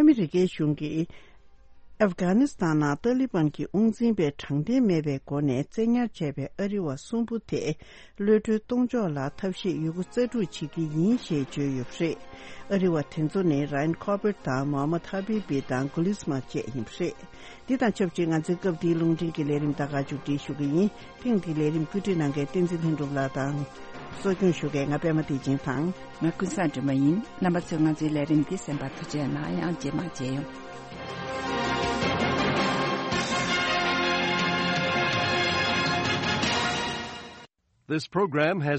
ཨ་མི་རི་ཀའི་གཞུང་གིས། ཨབ་གྷ་ནི་སི་ཐན་ནང་ཏཱ་ལི་བན་གྱི་དབང་འཛིན་པས་དྲང་བདེན་མེད་པའི་སྒོ་ནས་བཙན་ཉར་བྱས་པའི་ཨ་རི་བ་གསུམ་པོ་དེ་གློད་གྲོལ་གཏོང་ཕྱོགས་ལ་ཐབས་ཤེས་ཡོད་རྒུ་རྩལ་སྤྲུགས་བྱེད་ཀྱི་ཡིན་ཞེས་བརྗོད་ཡོད་པ་རེད། ཨ་རི་བ་དེ་ཚོ་ནི་རཱན་ཁོ་བེར་དང་མོ་ཧ་མད་ཧ་བི་བི་དང་གུ་ལིས་མ་བཅས་ཡིན་པ་རེད། འདི་དང་ཆབས་ཅིག་ང་ཚོའི་སྐབས་འདིའི་རླུང་འཕྲིན་གྱི་ལས་རིམ་ད་ག་མཇུག་སྒྲིལ་ཞུ་གི་ཡིན། ཐེངས་འདིའི་ལས་རིམ་བཀོད་སྒྲིག་གནང་མཁན་བསྟན་འཛིན་ལྷུན་གྲུབ་ལགས་དང་། གཙོ་སྐྱོང་ཞུ་མཁན་ང་པད་མ་བདེ་ཆེན་དང་། ང་ཀུན་བཟང་སྒྲོལ་མ་ཡིན། རྣམ་པ་ཚོས་ང་ཚོའི་ལས་རིམ་འདི་གསན་པར་ཐུགས་རྗེ་གནང་། ཡང་རྗེས་མ་མཇལ་ཡོང་། This program has